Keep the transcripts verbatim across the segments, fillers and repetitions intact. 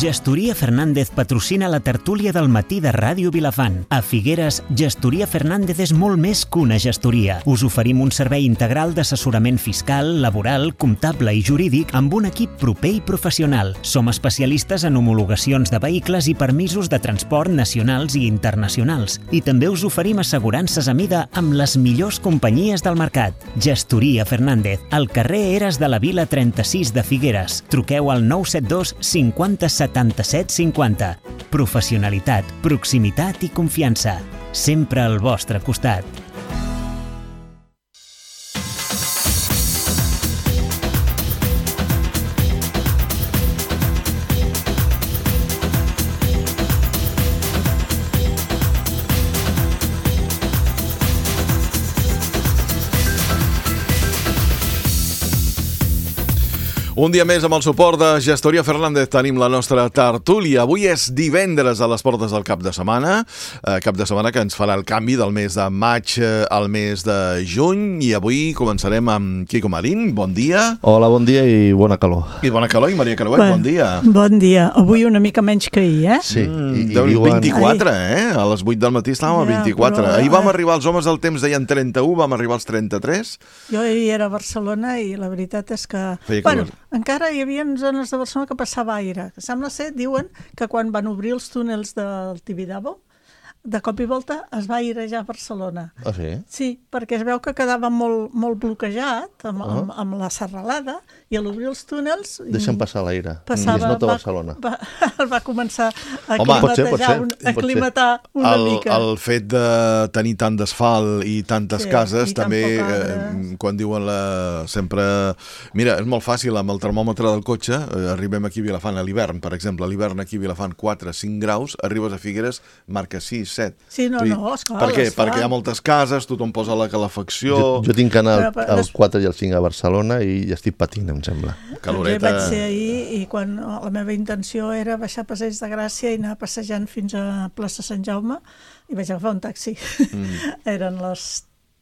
Gestoria Fernández patrocina la tertúlia del matí de Ràdio Vilafant. A Figueres, Gestoria Fernández és molt més que una gestoria. Us oferim un servei integral d'assessorament fiscal, laboral, comptable i jurídic amb un equip proper i professional. Som especialistes en homologacions de vehicles i permisos de transport nacionals i internacionals. I també us oferim assegurances a mida amb les millors companyies del mercat. Gestoria Fernández, al carrer Eres de la Vila trenta-sis de Figueres. Truqueu al nou set dos cinquanta setanta-set cinquanta. Professionalitat, proximitat i confiança. Sempre al vostre costat. Un dia més amb el suport de Gestoria Fernández tenim la nostra tertúlia. Avui és divendres a les portes del cap de setmana, eh, cap de setmana que ens farà el canvi del mes de maig eh, al mes de juny, i avui començarem amb Quico Marín. Bon dia. Hola, bon dia i bona calor. I bona calor, i Maria Carouet, bon, bon dia. Bon dia. Avui una mica menys que ahir, eh? Sí. Mm, i, i diuen... vint-i-quatre, Ai. eh? A les vuit del matí estàvem a Ja, vint-i-quatre. però... Ahir vam arribar, els homes del temps deien trenta-u, vam arribar als trenta-tres. Jo ahir era a Barcelona i la veritat és que... Feia bueno, calor. encara hi havia zones de Barcelona que passava aire. Sembla ser, diuen, que quan van obrir els túnels del Tibidabo, de cop i volta es va airejar Barcelona. Ah, sí? Sí, perquè es veu que quedava molt, molt bloquejat amb, uh-huh. amb, amb la serralada, i a l'obrir els túnels... Deixen passar l'aire. Passava, I es nota va, Barcelona. Va, va començar a Home, pot ser, pot ser, un, a pot climatar una el, mica. El fet de tenir tant d'asfalt i tantes Sí, cases i tan també, poc eh, arbres. quan diuen la, sempre... Mira, és molt fàcil, amb el termòmetre del cotxe, eh, arribem aquí a Vilafant a l'hivern, per exemple, a l'hivern aquí a Vilafant quatre cinc graus, arribes a Figueres, marca sis set. Sí, no, Vull dir, no, esclar, per què? esclar. Perquè hi ha moltes cases, tothom posa la calefacció... Jo, jo tinc que anar Però, però, al quatre i al cinc a Barcelona i estic patint, em sembla. Doncs jo hi vaig ser ahir, i quan la meva intenció era baixar a Passeig de Gràcia i anar passejant fins a plaça Sant Jaume, i vaig agafar un taxi. Mm. Eren les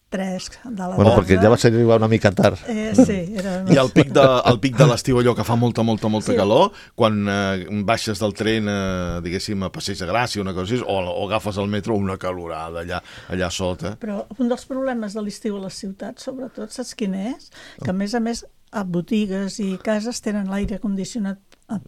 tres de la Bueno, tarda. perquè ja vas arribar una mica tard. Eh, sí, era... I al pic de, al pic de l'estiu, allò que fa molta, molta, molta Sí. calor, quan eh, baixes del tren, eh, diguéssim, a Passeig de Gràcia, una cosa així, o, o agafes el metro, una calorada allà, allà sota. Però un dels problemes de l'estiu a les ciutats, sobretot, saps quin és? Que a més a més a botigues i cases tenen l'aire condicionat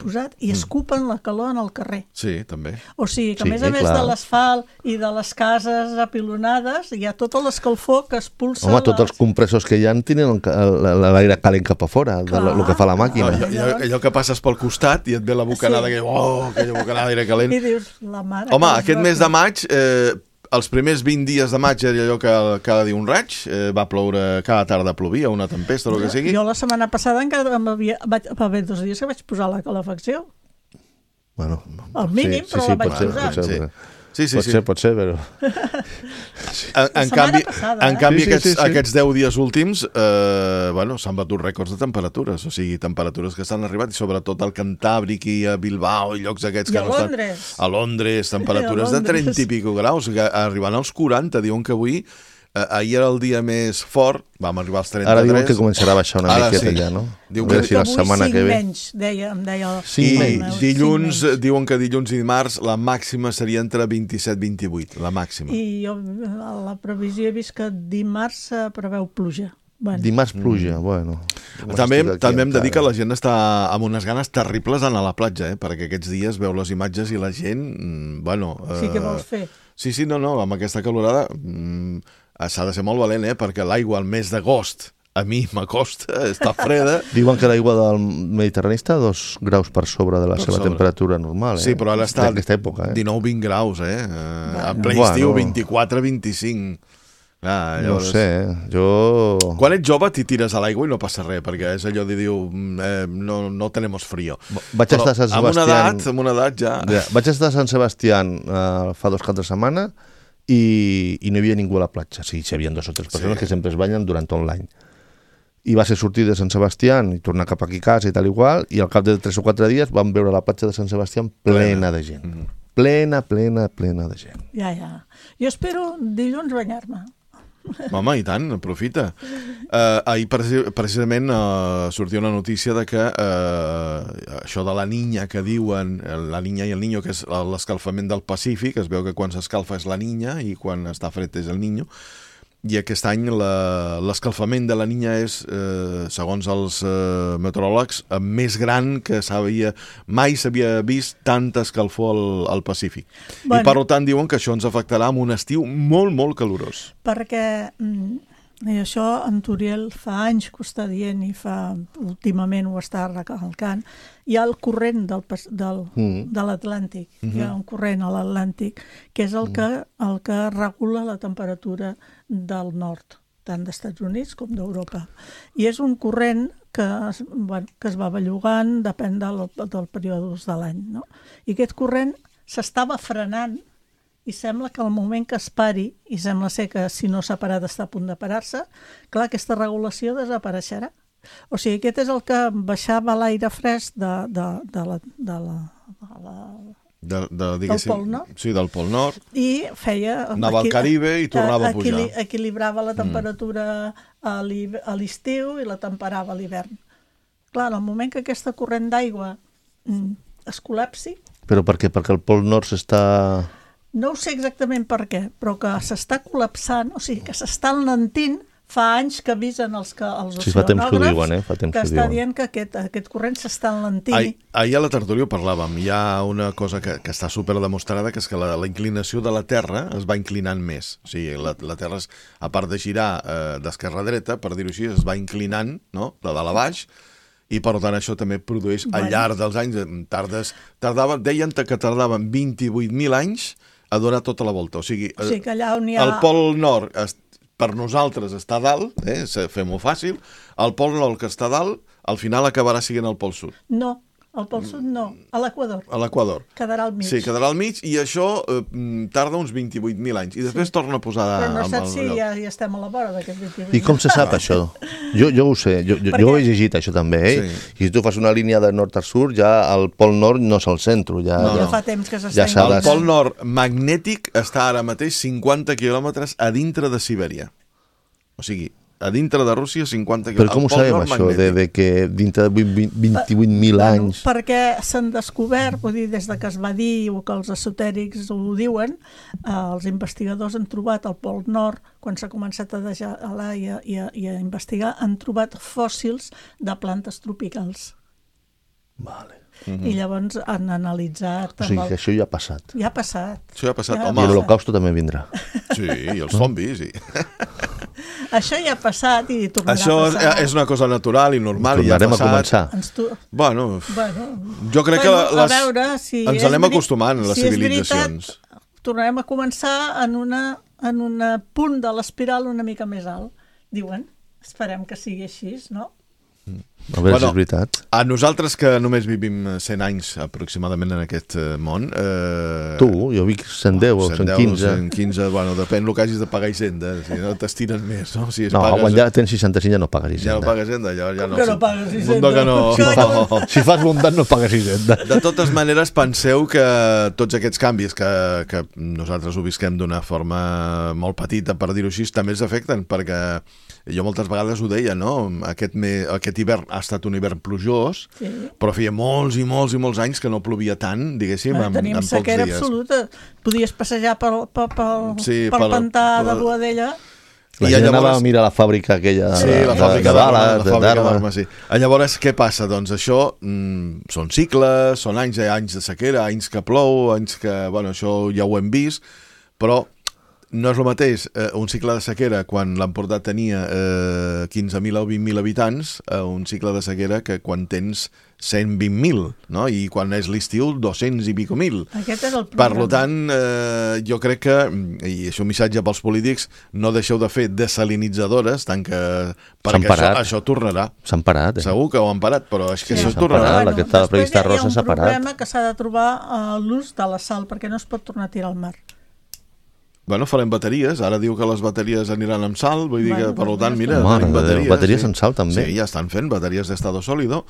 posat i escupen la calor en el carrer. Sí, també. O sigui que a Sí, més a més clar. de l'asfalt i de les cases apilonades hi ha tota l'escalfor que expulsa... Home, tots les... els compressors que hi ha tenen el ca- el- l'aire calent cap a fora, de Clar. lo que fa la màquina. Allò, allò, allò que passes pel costat i et ve la bocanada, Sí. que, oh, aquella bocanada d'aire calent. I dius, la mare... Home, que els aquest va mes fer. de maig, eh, els primers vint dies de maig era allò que cada dia un raig, eh, va ploure, cada tarda plovia, una tempesta o el que sigui. Jo la setmana passada encara m'havia... vaig... va haver dos dies que vaig posar la calefacció. Bueno, Al mínim, però la vaig pot ser, posar. pot ser, Sí. però- Sí, sí, pot sí. ser, pot ser, però... En, en setmana canvi, passada, en eh? canvi Sí, sí, aquests, sí, sí. aquests deu dies últims eh, bueno, s'han batut rècords de temperatures, o sigui, temperatures que s'han arribat, i sobretot al Cantàbric i a Bilbao i llocs aquests I que a no Londres. estan... A Londres, temperatures I a de trenta Londres. i pico graus, que arribant als quaranta, diuen que avui, eh, ahir era el dia més fort, vam arribar als trenta-tres. Ara diuen que començarà a baixar una Ara miqueta sí. allà, no? Diu A veure que- si la avui setmana cinc que ve... menys, deia, em deia... Cinc I menys. dilluns, Cinc menys. diuen que dilluns i dimarts la màxima seria entre vint-i-set i vint-i-vuit, la màxima. I jo a la previsió he vist que dimarts eh, preveu pluja. Bueno, Dimarts pluja, bueno. També, Estic aquí també hem de dir que encara. la gent està amb unes ganes terribles d'anar a la platja, eh? Perquè aquests dies veu les imatges i la gent, mm, bueno... sí que eh, vols fer. Sí, sí, no, no, amb aquesta calorada mm, s'ha de ser molt valent, eh? Perquè l'aigua al mes d'agost a mi m'acosta, està freda. Diuen que l'aigua del Mediterrani està a dos graus per sobre de la Per seva sobre. temperatura normal, eh? Sí, però ara està En aquesta època, eh? dinou vint graus, eh? eh en ple Bueno. estiu, vint-i-quatre vint-i-cinc. Ah, No ho sé, eh? Jo... Quan ets jove t'hi tires a l'aigua i no passa res, perquè és allò de dir, eh, no, no tenemos frío. Vaig Però estar a Sant amb una Sebastián... edat, amb una edat ja... Ja, vaig estar a Sant Sebastián eh, fa dos cap de setmana i, i no hi havia ningú a la platja. Sí, hi havia dos o tres persones Sí. que sempre es banyen durant tot l'any. I va ser sortir de Sant Sebastián i tornar cap aquí a casa i tal i qual, i al cap de tres o quatre dies vam veure la platja de Sant Sebastián plena de gent. Mm. Plena, plena, plena de gent. Ja, ja. Jo espero dilluns banyar-me. Home, i tant, aprofita. Uh, ahir precisament uh, sortia una notícia de que uh, això de la Niña que diuen, la Niña i el Niño, que és l'escalfament del Pacífic, es veu que quan s'escalfa és la Niña i quan està fred és el Niño, i aquest any l'escalfament de la Niña és, eh, segons els eh, meteoròlegs, eh, més gran que s'havia, mai s'havia vist tanta escalfor al, al Pacífic. Bueno, I per tant diuen que això ens afectarà en un estiu molt, molt calorós. Perquè, i això en Turiel fa anys que ho està dient i fa, últimament ho està recalcant, hi ha el corrent del, del, mm. de l'Atlàntic, mm-hmm. hi ha un corrent a l'Atlàntic, que és el, mm. que, el que regula la temperatura del nord, tant dels Estats Units com d'Europa. I és un corrent que, bueno, que es va bellugant, depèn del, del període de l'any. No? I aquest corrent s'estava frenant i sembla que al moment que es pari, i sembla ser que si no s'ha parat està a punt de parar-se, clar, aquesta regulació desapareixerà. O sigui, aquest és el que baixava l'aire fresc de, de, de la... De la, de la De, de, del Pol Nord. Sí, del Pol Nord. I feia... Anava al Caribe i tornava a pujar. Equili, equilibrava la temperatura mm. a l'estiu i la temperava a l'hivern. Clar, en el moment que aquesta corrent d'aigua mm, es col·lapsi... Però per què? Perquè el Pol Nord s'està... No ho sé exactament per què, però que s'està col·lapsant, o sigui, que s'està enlentint. Fa anys que avisen els, que, els sí, fa temps que ho diuen, eh? Fa temps que, que està diuen. dient que aquest, aquest corrent s'està enlentint. Ahir, ahir a la tertúlia parlàvem, hi ha una cosa que, que està super demostrada, que és que la, la inclinació de la Terra es va inclinant més. O sigui, la, la Terra, a part de girar eh, d'esquerra a dreta, per dir-ho així, es va inclinant, no?, de dalt a baix, i per tant això també produeix, bueno, al llarg dels anys, tardes, tardava, deien que tardaven vint-i-vuit mil anys a donar tota la volta. O sigui, o sigui que allà on hi ha... el Pol Nord... Es, per nosaltres està a dalt, eh, fem-ho fàcil, el Pol Nord que està a dalt, al final acabarà sent el Pol Sud. No, el Pol Sud no, a l'Equador. A l'Equador. Quedarà al mig. Sí, quedarà al mig i això eh, tarda uns vint-i-vuit mil anys i després sí. torna a posar... Però no saps si lloc. ja, ja estem a la vora d'aquests vint-i-vuit. I com se sap això? Jo, jo ho sé, jo, jo, jo ho he llegit això també, eh? Sí. I si tu fas una línia de nord a sud, ja el Pol Nord no és el centre. Ja, no, ja no. fa temps que s'està... Ja el Pol Nord magnètic està ara mateix cinquanta quilòmetres a dintre de Sibèria. O sigui, a dintre de Rússia, cinquanta quilòmetres. Però com ho sabem, això, de, de que dintre de vint-i-vuit mil anys... Bueno, perquè s'han descobert, vull dir, des de que es va dir, o que els esotèrics ho diuen, eh, els investigadors han trobat al Pol Nord, quan s'ha començat a gelar i, i, i a investigar, han trobat fòssils de plantes tropicals. Vale. Mm-hmm. I llavors han analitzat... O sigui, que això ja ha passat. Ja ha passat. Això ja ha passat, ja home. I l'Holocausto també vindrà. Sí, i els zombis, sí. Això ja ha passat i tornarà això a passar. Això és una cosa natural i normal. I tornarem ja ha a començar. Tu... Bueno, bueno, jo crec bueno, que les... veure, si ens anem veri... acostumant, les si civilitzacions. Veritat, tornarem a començar en una en un punt de l'espiral una mica més alt. Diuen, esperem que sigui així, no? A veure bueno, si és veritat. A nosaltres que només vivim cent anys aproximadament en aquest món... Eh... Tu, jo vic cent deu o cent quinze. cent quinze, bueno, depèn del que hagis de pagar Hisenda, si no t'estiren més, no? Si no, pagues... quan ja tens seixanta-cinc ja no pagues Hisenda. Ja no pagues Hisenda, ja, ja no... Que no pagues Hisenda. Que no... Si, fa, si fas bondat no pagues Hisenda. De totes maneres, penseu que tots aquests canvis que, que nosaltres ho visquem d'una forma molt petita, per dir-ho així, també ens afecten, perquè jo moltes vegades ho deia, no? Aquest, me... aquest hivern ha estat un hivern plujós, sí. Però feia molts i molts i molts anys que no plovia tant, diguéssim, en, tenim en pocs sequera dies. absoluta. Podies passejar pel, pel, pel, sí, pel per, pantà per, de Boadella. La gent llavors... anava a mirar la fàbrica aquella sí, de, la fàbrica de bales, de, d'armes. Sí. Llavors, què passa? Doncs això mm, són cicles, són anys, anys de sequera, anys que plou, anys que... Bueno, això ja ho hem vist, però no és el mateix eh, un cicle de sequera quan l'Empordà tenia eh, quinze mil o vint mil habitants, eh, un cicle de sequera que quan tens cent vint mil, no? I quan és l'estiu, dos-cents i pico mil. Aquest és el problema. Per tant, eh, jo crec que, i això un missatge pels polítics, no deixeu de fer desalinitzadores, tant que... perquè això, això tornarà. S'han parat, eh? Segur que ho han parat, però és que sí, això tornarà. Parat, la que estava prevista a Rosa s'ha parat. Després hi ha un problema que s'ha de trobar uh, l'ús de la sal, perquè no es pot tornar a tirar al mar. Bueno, farem bateries, ara diu que les bateries aniran amb sal, vull dir que, Bueno, per tant, mira, Mare tenim de Déu, bateries. bateries sí. amb sal, també. Sí, ja estan fent bateries d'estado sòlido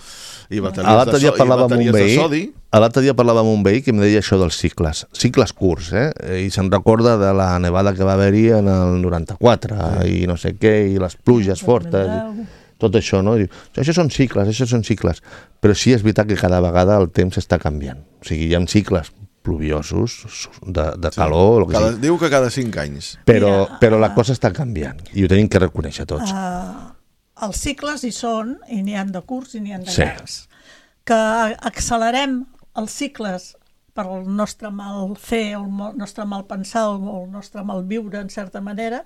i A bateries, l'altre de, dia so parlava i amb un bateries de veí, sodi. a l'altre dia parlava amb un veí que em deia això dels cicles, cicles curts, eh? I se'n recorda de la nevada que va haver-hi en el noranta-quatre i no sé què, i les pluges fortes, i tot això, no? I diu, això són cicles, això són cicles. Però sí és veritat que cada vegada el temps està canviant. O sigui, hi ha cicles pluviosos, de, de calor... Sí. Cada, diu que cada cinc anys. Però, Mira, però la cosa està canviant i ho tenim que reconèixer tots. Uh, els cicles hi són, i n'hi han de curts i n'hi han de Sí. llargs. Que accelerem els cicles per el nostre mal fer, el nostre mal pensar, el nostre mal viure, en certa manera,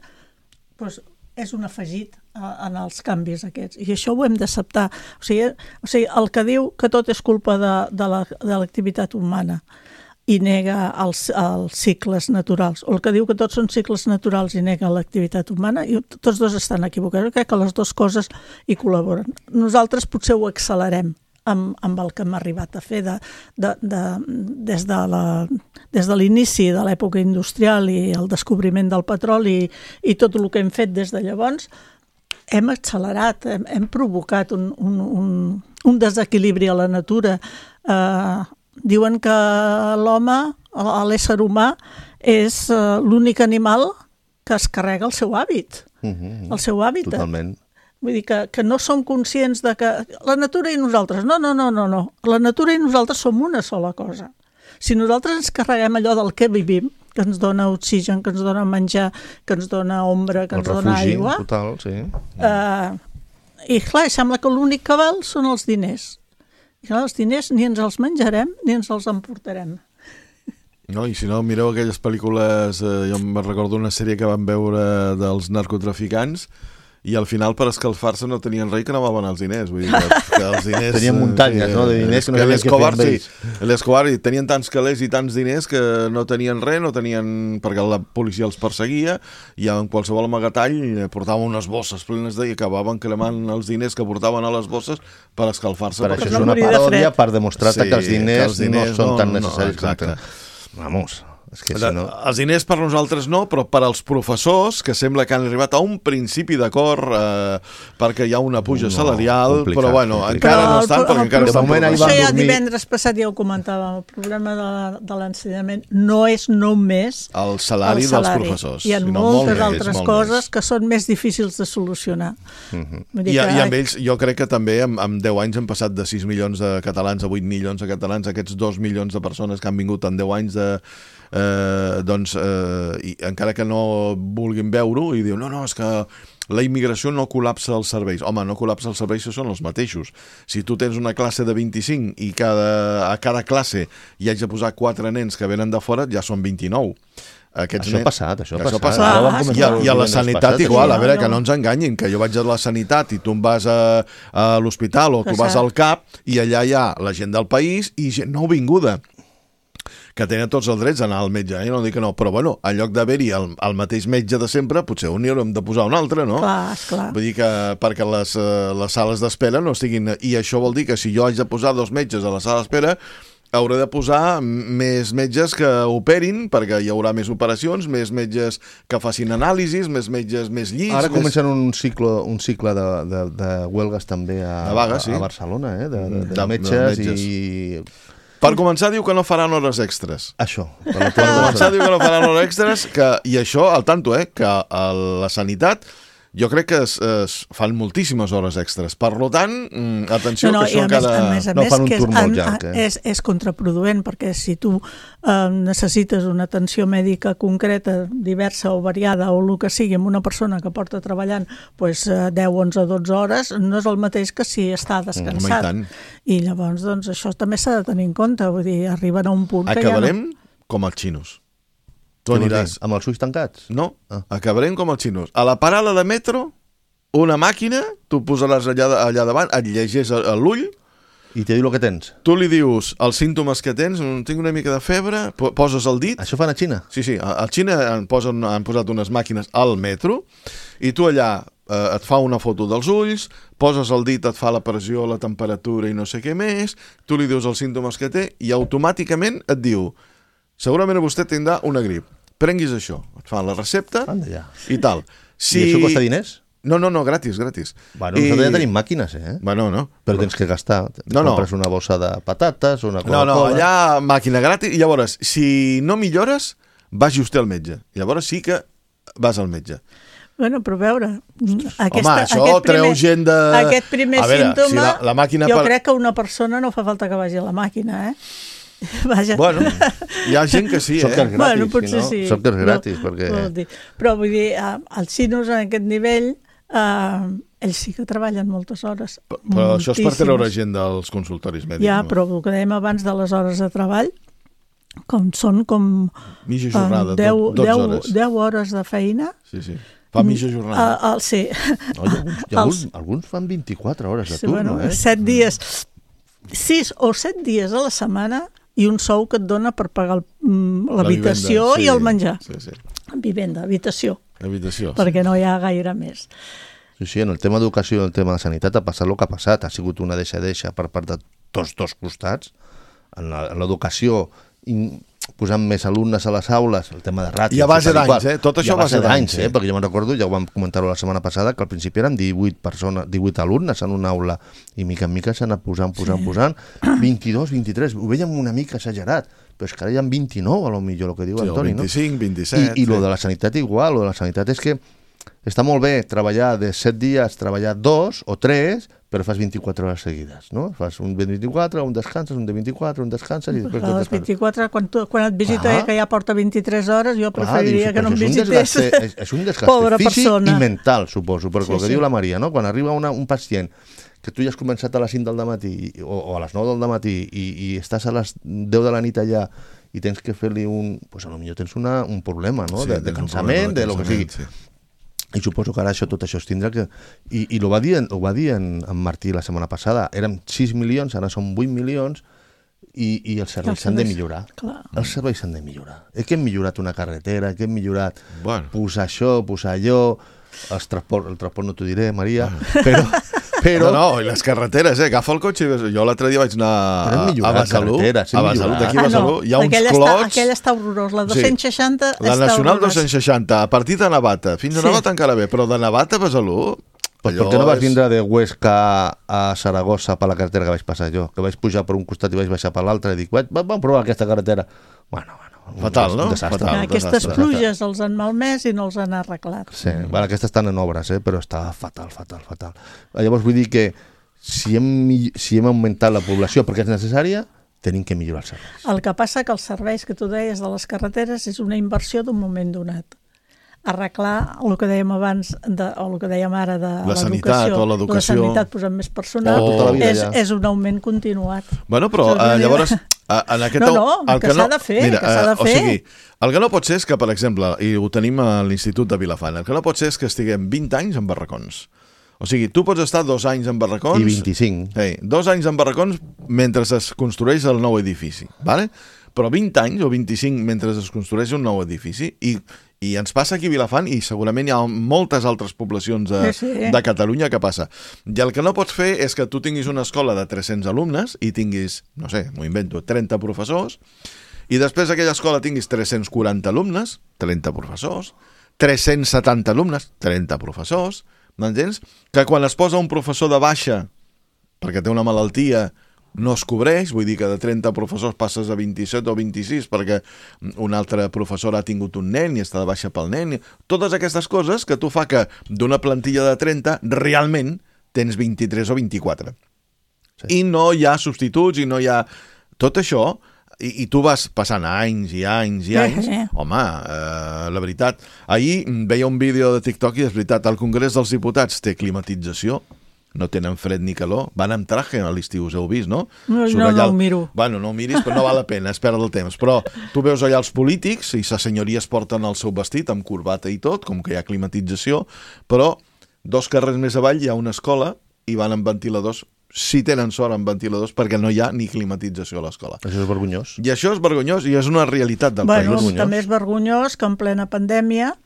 doncs és un afegit en els canvis aquests. I això ho hem d'acceptar. O sigui, o sigui, el que diu que tot és culpa de, de l'activitat humana i nega els, els cicles naturals, o el que diu que tots són cicles naturals i nega l'activitat humana, i tots dos estan equivocats. Jo crec que les dues coses hi col·laboren. Nosaltres potser ho accelerem amb, amb el que hem arribat a fer de, de, de, des de la, des de l'inici de l'època industrial i el descobriment del petroli i, i tot el que hem fet des de llavors. Hem accelerat, hem, hem provocat un, un, un, un desequilibri a la natura. Eh, diuen que l'home, l'ésser humà, és uh, l'únic animal que es carrega el seu hàbit, Mm-hmm. el seu hàbitat. Totalment. Vull dir que, que no som conscients de que la natura i nosaltres, no, no, no, no, no. La natura i nosaltres som una sola cosa. Si nosaltres ens carreguem allò del que vivim, que ens dona oxigen, que ens dona menjar, que ens dona ombra, que El ens dona refugi, aigua... total, sí. Eh, I clar, sembla que l'únic que val són els diners. I clar, els diners ni ens els menjarem ni ens els emportarem. No, i si no, mireu aquelles pel·lícules, eh, jo me'n recordo una sèrie que vam veure dels narcotraficants, i al final per escalfar-se no tenien res que anaven als diners, vull dir que, que els diners... Tenien muntanyes, no?, de diners que no sabien què fer amb ells. Sí, l'Escobar tenien tants calés i tants diners que no tenien res, no tenien... perquè la policia els perseguia, i en qualsevol amagatall portaven unes bosses plenes de... i acabaven cremant els diners que portaven a les bosses per escalfar-se. Per això no és una morir de paròdia fred. per demostrar-te Sí, que els diners, que els diners no són no- tan no, necessaris com exacte. tenen. Vamos, és que si De, no... Els diners per nosaltres no, però per als professors, que sembla que han arribat a un principi d'acord eh, perquè hi ha una puja No, salarial, complicat, però bueno, complicat. encara Però no el estan, pro- perquè el encara De estan moment ahir professors. van Això ja dormir- divendres passat ja ho comentàvem, el problema de, de l'ensenyament no és només El salari, el salari. dels professors. Hi ha sinó moltes molt més, altres molt coses més. que són més difícils de solucionar. Mhm. Vull dir I, que- I amb ells, jo crec que també en, en deu anys han passat de sis milions de catalans a vuit milions de catalans, aquests dos milions de persones que han vingut en deu anys de... Eh, doncs, eh, i encara que no vulguin veure-ho, i diu, no, no, és que la immigració no col·lapsa els serveis. Home, no col·lapsa els serveis, són els mateixos. Si tu tens una classe de vint-i-cinc i cada, a cada classe hi haig de posar quatre nens que venen de fora, ja són vint-i-nou. Aquests Això ha nens- passat, això ha Això ha passat. passat. Ara ho vam Ah, comentar I a, el I a la divendres sanitat passat, igual, sí. a veure, No, que no. no ens enganyin, que jo vaig a la sanitat i tu em vas a, a l'hospital o tu Que vas cert. al CAP i allà hi ha la gent del país i gent nouvinguda que tenen tots els drets d'anar al metge, eh? No dic que no, però bueno, en lloc d'haver-hi el, el mateix metge de sempre, potser on hi haurem de posar un altre, no? Clar, esclar. Vull dir que perquè les, eh, les sales d'espera no estiguin... I això vol dir que si jo haig de posar dos metges a la sala d'espera, hauré de posar més metges que operin, perquè hi haurà més operacions, més metges que facin anàlisis, més metges, més llits... Ara més... comencen un cicle, un cicle de, de, de huelgues també a, De vagues, sí. a Barcelona, eh? de, de, de, De- de metges, metges. i... Per començar, diu que no faran hores extres. Això. Per la Per començar, diu que no faran hores extres, que, i això, al tanto, eh, que a la sanitat jo crec que es, es fan moltíssimes hores extres. Per tant, mm, atenció, No, no, que i això a més, cada... a més, a No, més fan un que és, tour molt en- llarg, eh? és, és contraproduent, perquè si tu eh, necessites una atenció mèdica concreta, diversa o variada, o el que sigui, amb una persona que porta treballant pues, eh, deu, onze, dotze hores, no és el mateix que si està descansat. Home, i tant. I llavors, doncs, això també s'ha de tenir en compte, vull dir, arriben a un punt que Acabarem com els xinos. Tu Què vols dir? aniràs... Amb els ulls tancats? No, Ah. acabarem com els xinos. A la parada de metro, una màquina, tu posaràs allà, allà davant, et llegeix a, a l'ull, I te diu el que tens. tu li dius els símptomes que tens, "Mm, tinc una mica de febre, po- poses el dit... Això fan a Xina? Sí, sí, a a Xina han, posen, han posat unes màquines al metro i tu allà eh, et fa una foto dels ulls, poses el dit, et fa la pressió, la temperatura i no sé què més, tu li dius els símptomes que té i automàticament et diu segurament vostè tindrà una grip. prenguis això. Et fan la recepta Anda ja. i tal. Si... I això costa diners? No, no, no, gratis, gratis. Bueno, nosaltres ja tenim màquines, eh? Bueno, no. Però tens que gastar. No, no. Compres una bossa de patates, una Coca-Cola... No, no, allà màquina gratis. I llavors, si no millores, vagi vostè al metge. Llavors sí que vas al metge. Bueno, però a veure... Aquesta, Home, això aquest treu primer, gent de... Aquest primer A veure, símptoma, si la, la màquina jo per... crec que una persona no fa falta que vagi a la màquina, eh? Vaja. Bueno, hi ha gent que sí, Sóc eh? que és gratis, Bueno, potser si no? sí. Sóc que és gratis, no, perquè... Vol dir. Però vull dir, eh, els xinos en aquest nivell, eh, ells sí que treballen moltes hores. Però, però això és per treure moltíssimes. gent dels consultoris mèdics. Ja, no? però el que dèiem abans de les hores de treball, com són com Mitja eh, jornada, deu, dotze deu, hores. deu hores de feina. Sí, sí. Fa mitja jornada. Uh, uh, sí. No, hi ha alguns, hi ha alguns, alguns fan vint-i-quatre hores de Sí, turno, bueno, eh? set dies, sis o set dies a la setmana i un sou que et dona per pagar el- mm, l'habitació La vivenda, i el menjar. Sí, sí. Vivenda, habitació, Habitació. Sí. perquè no hi ha gaire més. Sí, sí, en el tema d'educació i en el tema de sanitat ha passat el que ha passat. Ha sigut una deixa-deixa per part de tots dos costats. En la- en l'educació, in- posant més alumnes a les aules, el tema de ràtios... I a base tal d'anys, qual. eh? Tot això I a base d'anys, sí. eh? Perquè jo me'n recordo, ja ho vam comentar-ho la setmana passada, que al principi eren divuit persones, divuit alumnes en una aula, i mica en mica s'han anat posant, posant, sí. posant, vint-i-dos, vint-i-tres, ho veiem una mica exagerat, però és que ara hi ha vint-i-nou, a lo millor, el que diu Sí, Antoni, vint-i-cinc, no? vint-i-set... I, i lo sí. de la sanitat igual, lo de la sanitat és que està molt bé treballar de set dies, treballar dos o tres, però fas vint-i-quatre hores seguides, no? Fas un de vint-i-quatre, un descanses, un de vint-i-quatre, un descanses i després A tot les descanses. vint-i-quatre, quan, tu, quan et visita Clar. que ja porta vint-i-tres hores, jo Clar, preferiria dius, que no em però això és un visités. desgaste- És, és un desgaste Pobra físic persona. i mental, suposo, perquè Sí, el que sí. diu la Maria, no? Quan arriba una, un pacient que tu ja has començat a les cinc del matí o, o a les nou del matí i, i estàs a les deu de la nit allà i tens que fer-li un... Pues a lo millor tens una, un problema, no? Sí, de, de tens un cansament, problema de lo que sigui. cansament, sí. I suposo que ara això, tot això es tindrà que... I, i ho va dir, en- ho va dir en, en Martí la setmana passada. Érem sis milions, ara són vuit milions i, i els serveis Els s'han de serveis, millorar. clar. Els serveis s'han de millorar. És que hem millorat una carretera, que hem millorat Bueno. posar això, posar allò, els transport, el transport no t'ho diré, Maria, però... però No, no, i les carreteres, eh? Agafa el cotxe i ves... Jo l'altre dia vaig anar Però hem a, a millorat Besalú, carreteres, hem a Besalú, millorat. d'aquí a Besalú, hi ha uns aquella clots... Està, aquella està horrorós, la dos-cents seixanta Sí. La està Nacional horrorós. dos-cents seixanta, a partir de Navata. Fins a Sí. Navata encara bé, però de Navata a Besalú... Pues allò per què no vas és- vindre de Huesca a Saragossa per la carretera que vaig passar jo? Que vaig pujar per un costat i vaig baixar per l'altre i dic, "Vaig- vam provar aquesta carretera. Bueno, bueno. un Fatal, des- no? un desastre. Fatal. Aquestes desastre. pluges els han malmès i no els han arreglat. Sí, bueno, aquestes estan en obres, eh? Però està fatal, fatal, fatal. Llavors vull dir que si hem, mi- si hem augmentat la població perquè és necessària, tenim que millorar els serveis. El que passa que els serveis que tu deies de les carreteres és una inversió d'un moment donat. Arreglar el que dèiem abans, de, o el que dèiem ara de La sanitat l'educació, o l'educació. la sanitat posant més personal, O- Tota la vida és, ja. és un augment continuat. Bueno, però Saps què eh, vull dir? llavors, eh, en aquest... No, no, el que s'ha de fer, mira, que s'ha de eh, O fer. sigui, el que no pot ser és que, per exemple, i ho tenim a l'Institut de Vilafant, el que no pot ser és que estiguem vint anys en barracons. O sigui, tu pots estar dos anys en barracons... I vint-i-cinc. Ei, dos anys en barracons mentre es construeix el nou edifici, ¿vale? Però vint anys o vint-i-cinc mentre es construeix un nou edifici i, i ens passa aquí a Vilafant i segurament hi ha moltes altres poblacions de, Sí, sí. de Catalunya que passa. I el que no pots fer és que tu tinguis una escola de tres-cents alumnes i tinguis, no sé, m'ho invento, trenta professors i després aquella escola tinguis tres-cents quaranta alumnes, trenta professors, tres-cents setanta alumnes, trenta professors, m'entens? Que quan es posa un professor de baixa perquè té una malaltia no es cobreix, vull dir que de trenta professors passes a vint-i-set o vint-i-sis perquè un altre professor ha tingut un nen i està de baixa pel nen. Totes aquestes coses que tu fa que d'una plantilla de trenta realment tens vint-i-tres o vint-i-quatre. Sí. I no hi ha substituts i no hi ha... Tot això, i, i tu vas passant anys i anys i anys, Eh, eh. home, eh, la veritat... Ahir veia un vídeo de TikTok i és veritat, el Congrés dels Diputats té climatització, no tenen fred ni calor, van amb traje a l'estiu, us heu vist, no? No, Surt no, allà no el- ho miro. Bueno, no ho miris, però no val la pena, es perd el temps. Però tu veus allà els polítics, i les senyories porten el seu vestit amb corbata i tot, com que hi ha climatització, però dos carrers més avall hi ha una escola i van amb ventiladors, si tenen sort amb ventiladors, perquè no hi ha ni climatització a l'escola. Això és vergonyós. I això és vergonyós i és una realitat del Bueno, país. també és vergonyós que en plena pandèmia,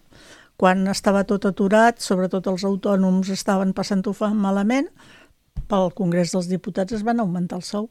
quan estava tot aturat, sobretot els autònoms estaven passant-ho malament, pel Congrés dels Diputats es van augmentar el sou.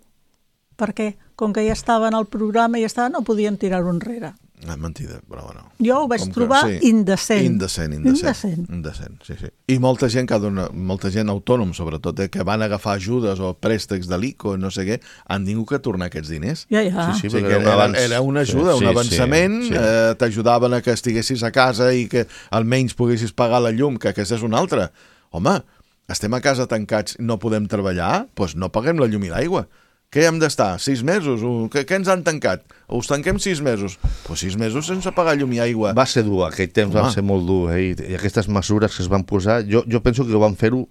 Per què? Com que ja estaven al programa i ja estaven, no podien tirar-ho enrere. Ah, mentida, però bueno. Jo ho vaig Com que- trobar sí. indecent. Indecent, indecent. Indecent. Indecent, sí, sí. I molta gent, que dona, molta gent autònom, sobretot, eh, que van agafar ajudes o préstecs de l'I C O, no sé què, han tingut que tornar aquests diners. Ja, ja. Sí, sí, O sigui, perquè que era un era, avanç. era una ajuda, Sí, un sí, avançament, sí, sí. eh, t'ajudaven a que estiguessis a casa i que almenys poguessis pagar la llum, que aquesta és una altra. Home, estem a casa tancats i no podem treballar? Doncs no paguem la llum i l'aigua. Què hem d'estar? Sis mesos? Què, què ens han tancat? Us tanquem sis mesos? Doncs sis mesos sense pagar llum i aigua. Va ser dur, aquell temps Home. va ser molt dur, eh? I, i aquestes mesures que es van posar, jo, jo penso que van fer-ho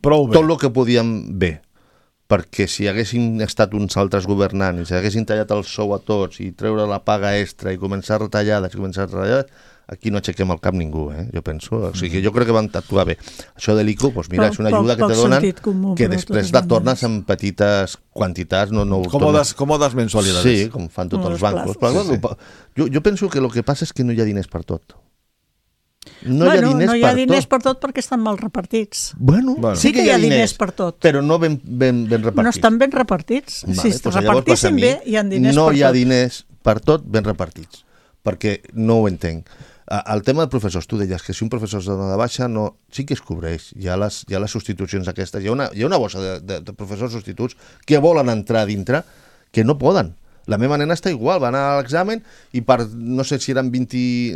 Prou bé. tot el que podíem bé, perquè si haguessin estat uns altres governants, si haguessin tallat el sou a tots i treure la paga extra i començar retallades, i començar retallades, aquí no aixequem el cap ningú, eh? Jo penso. O sigui, jo crec que van actuar bé. Això de l'I C O, doncs mira, Poc- és una poc- ajuda que poc te donen sentit comú, que però després totes la maneres. tornes en petites quantitats. No, no ho Còmodes, tornes- còmodes mensualidades. Sí, com fan tots Com els els bancos. plazos. Però, Sí, bueno, jo, jo penso que el que passa és que no hi ha diners per tot. No bueno, hi ha diners no hi ha per diners tot. per tot perquè estan mal repartits. Bueno, Bueno. sí que hi ha diners per tot. però no ben, ben, ben repartits. No estan ben repartits. Vale, si es doncs llavors passa a repartissin mi, bé, hi ha diners no per hi ha tot. diners per tot ben repartits, perquè no ho entenc. Ah, el tema de professors, tu deies que si un professor es dona de baixa, no, sí que es cobreix. Hi ha les, hi ha les substitucions aquestes. Hi ha una, hi ha una bossa de, de, de professors substituts que volen entrar a dintre que no poden. La meva nena està igual, va anar a l'examen i per, no sé si eren vint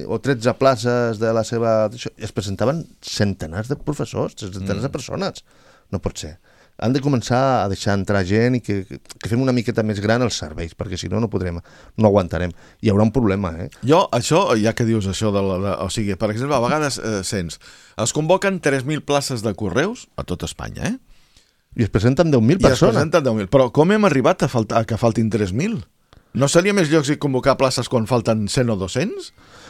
o tretze places de la seva... es presentaven centenars de professors, centenars mm. de persones. No pot ser. Han de començar a deixar entrar gent i que, que fem una miqueta més gran els serveis, perquè si no, no podrem, no aguantarem. Hi haurà un problema, eh? Jo, això, ja que dius això, de la, de, o sigui, per exemple, a vegades eh, sents, es convoquen tres mil places de correus a tot Espanya, eh? I es presenten deu mil I es persones. presenten deu mil. Però com hem arribat a, faltar, a que faltin tres mil? No seria més lògic convocar places quan falten cent o dos-cents?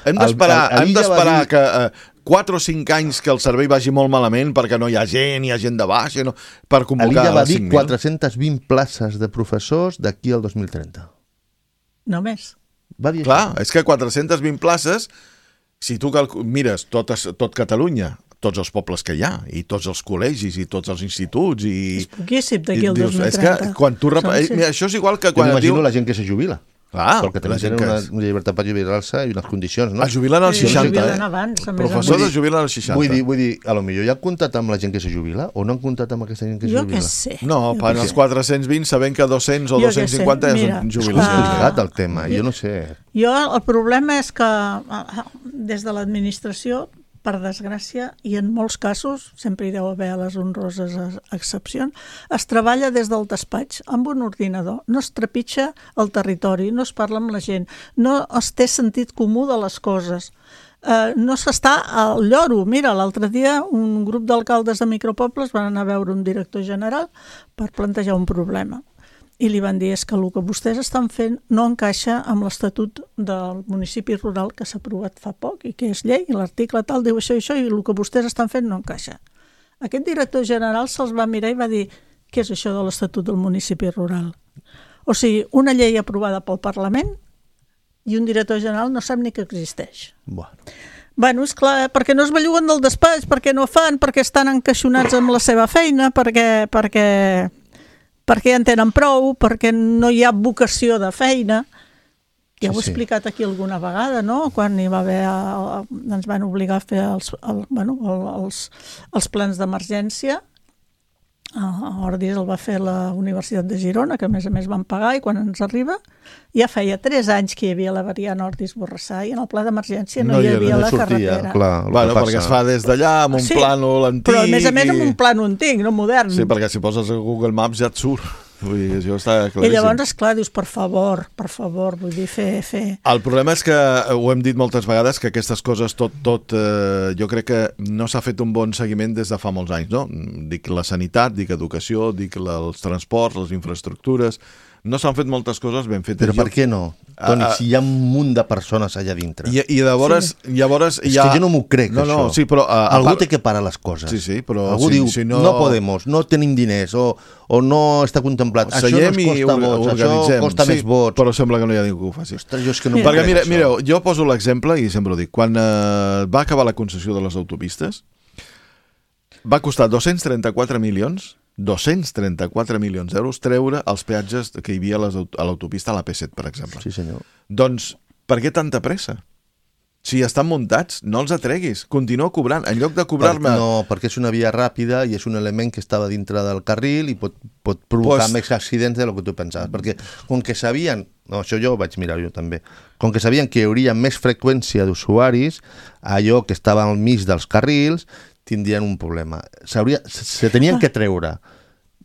Hem d'esperar El- el- hem l'Illa va d'esperar dir- que eh, quatre o cinc anys que el servei vagi molt malament perquè no hi ha gent, hi ha gent de baixa, no, per convocar L'Illa va les dir cinc mil. quatre-centes vint places de professors d'aquí al dos mil trenta. Només. Va dir Clar, això. és que quatre-centes vint places, si tu calcu- mires tot, es- tot Catalunya, tots els pobles que hi ha, i tots els col·legis, i tots els instituts, i... És poquíssim d'aquí i al dius, dos mil És trenta. que quan tu... Rep... Són Eh, sis. Mira, això és igual que Jo quan et m'imagino diu... la gent que se jubila. Clar, perquè també la gent tenen que una, és- una llibertat per jubilar-se i unes condicions, no? Es jubilen als Sí, seixanta, jubilen eh? abans, a més a Professors més. es jubilen als seixanta. Vull dir, vull dir, a lo millor ja han comptat amb la gent que se jubila o no han comptat amb aquesta gent que se Jo jubila? què sé. No, Jo per què als sé. quatre-cents vint sabent que dos-cents o Jo què dos-cents sé, cinquanta ja mira, són És jubilacions. Ah. complicat el tema, jo no sé. Jo, el problema és que ah, des de l'administració, per desgràcia, i en molts casos, sempre hi deu haver les honroses excepcions, es treballa des del despatx amb un ordinador. No es trepitja el territori, no es parla amb la gent, no es té sentit comú de les coses. Eh, no s'està al lloro. Mira, l'altre dia un grup d'alcaldes de micropobles van anar a veure un director general per plantejar un problema. I li van dir és que el que vostès estan fent no encaixa amb l'Estatut del municipi rural que s'ha aprovat fa poc i que és llei, i l'article tal diu això i això, i el que vostès estan fent no encaixa. Aquest director general se'ls va mirar i va dir què és això de l'Estatut del municipi rural? O sigui, una llei aprovada pel Parlament i un director general no sap ni que existeix. Bueno. Bueno, és clar, perquè no es belluguen del despatx, perquè no fan, perquè estan encaixonats amb la seva feina, perquè... perquè perquè ja en tenen prou, perquè no hi ha vocació de feina. Ja ho he Sí, sí. explicat aquí alguna vegada, no? Quan hi va haver, ens van obligar a fer els, el, bueno, els, els plans d'emergència. A Ordis el va fer la Universitat de Girona, que a més a més van pagar, i quan ens arriba ja feia tres anys que hi havia la variant Ordis-Borrassà i en el pla d'emergència no, No hi hi havia era, la no sortia, carretera. clar, el Bueno, que perquè passa. es fa des d'allà amb un Sí, plànol antic. però a més a més amb i- un plànol antic, no modern. Sí, perquè si poses a Google Maps ja et surt. Vull dir, això està I claríssim. llavors, esclar, dius, per favor, per favor, vull dir, fer, fer... El problema és que, ho hem dit moltes vegades, que aquestes coses, tot, tot eh, jo crec que no s'ha fet un bon seguiment des de fa molts anys, no? Dic la sanitat, dic educació, dic la, els transports, les infraestructures... No s'han fet moltes coses ben fetes. Però per què no? Toni, Ah, ah. si hi ha un munt de persones allà dintre. I, i llavors, sí. llavors És hi ha... que jo no m'ho crec, no, això. No, sí, però... Uh, Algú part... té que parar les coses. Sí, sí, però Algú si- diu, si no... no- no podemos, no tenim diners, o, o no està contemplat. Això Seiem no i ens costa or- vots, això organitzem. costa sí, més vots. Però sembla que no hi ha ningú que ho faci. Ostres, jo és que no m'ho Perquè crec, mira, això. mireu, jo poso l'exemple i sempre ho dic. Quan eh, va acabar la concessió de les autopistes, va costar dos-cents trenta-quatre milions, dos-cents trenta-quatre milions d'euros treure els peatges que hi havia a les aut- a l'autopista a la P set, per exemple. Sí, senyor. Doncs Per què tanta pressa? Si estan muntats, no els atreguis. Continua cobrant. En lloc de cobrar-me... Per, no, perquè és una via ràpida i és un element que estava dintre del carril i pot, pot provocar pues... més accidents de lo que tu pensaves. Perquè com que sabien... No, això jo ho vaig mirar jo també. Com que sabien que hi hauria més freqüència d'usuaris, allò que estava al mig dels carrils tindrien un problema. S'hauria, se tenien que treure.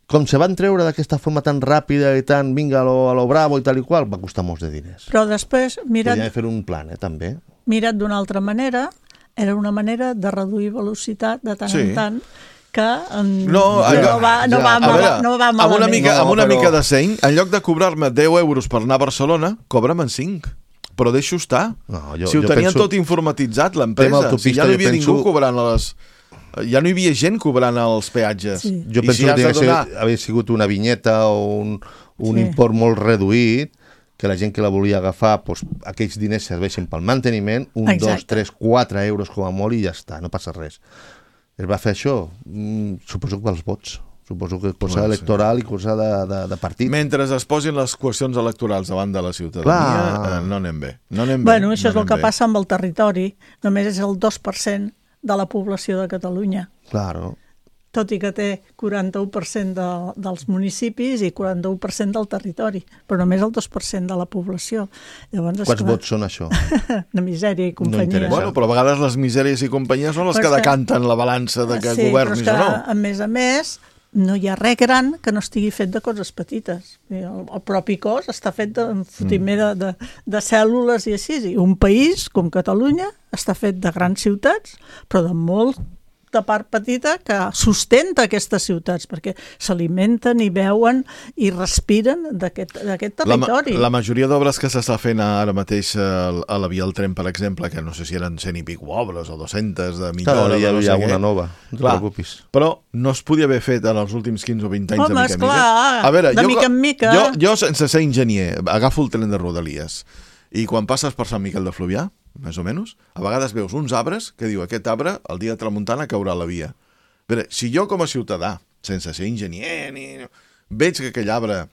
Com se van treure d'aquesta forma tan ràpida i tan vinga a lo, a lo bravo i tal i qual, va costar molts de diners. Però després, mirat... Podien fer un plan, eh, també. Mirat d'una altra manera, era una manera de reduir velocitat de tant sí. en tant que um, no, no, no va, no ja. va, mal, veure, no va malament. Amb una mica, no, amb una però... mica de seny, en lloc de cobrar-me deu euros per anar a Barcelona, cobra'm en cinc. Però deixo estar. No, jo, si ho tenien penso... tot informatitzat, l'empresa, si ja no hi havia penso... ningú cobrant les... Ja no hi havia gent cobrant els peatges. Sí. Jo penso si que hauria donar... haver sigut una vinyeta o un, un sí. import molt reduït, que la gent que la volia agafar, doncs, aquells diners serveixen pel manteniment, un, Exacte. dos, tres, quatre euros com a molt i ja està, no passa res. Es va fer això? Mm, suposo que pels vots. Suposo que cosa bueno, electoral sí. i cosa de, de, de partit. Mentre es posin les qüestions electorals davant de la ciutadania, eh, no anem bé. No anem bueno, bé, això no és el que bé. passa amb el territori. Només és el dos per cent de la població de Catalunya. Claro. Tot i que té quaranta-u per cent de, dels municipis i quaranta-u per cent del territori, però només el dos per cent de la població. Llavors, Quants clar, vots són això? Una misèria i companyia. No bueno, però a vegades les misèries i companyia són les però que decanten la balança de que sí, governis que, o no. A més a més, no hi ha res gran que no estigui fet de coses petites. El, el propi cos està fet de, mm. de, de, de cèl·lules i així. I un país com Catalunya està fet de grans ciutats, però de molt de part petita que sustenta aquestes ciutats, perquè s'alimenten i veuen i respiren d'aquest territori. La, la majoria d'obres que s'està fent ara mateix a, a la via del tren, per exemple, que no sé si eren cent i pico obres o dues-centes de millora... Clar, hi ha, no hi ha sé una què. nova, no clar, et preocupis. Però no es podia haver fet en els últims quinze o vint anys. Home, de mica en esclar, mica. A veure, de jo, mica en mica. Jo, jo, sense ser enginyer, agafo el tren de Rodalies i quan passes per Sant Miquel de Fluvià, més o menys, a vegades veus uns arbres que diu aquest arbre el dia de tramuntana caurà a la via. A veure, si jo com a ciutadà, sense ser enginyer, ni... veig que aquell arbre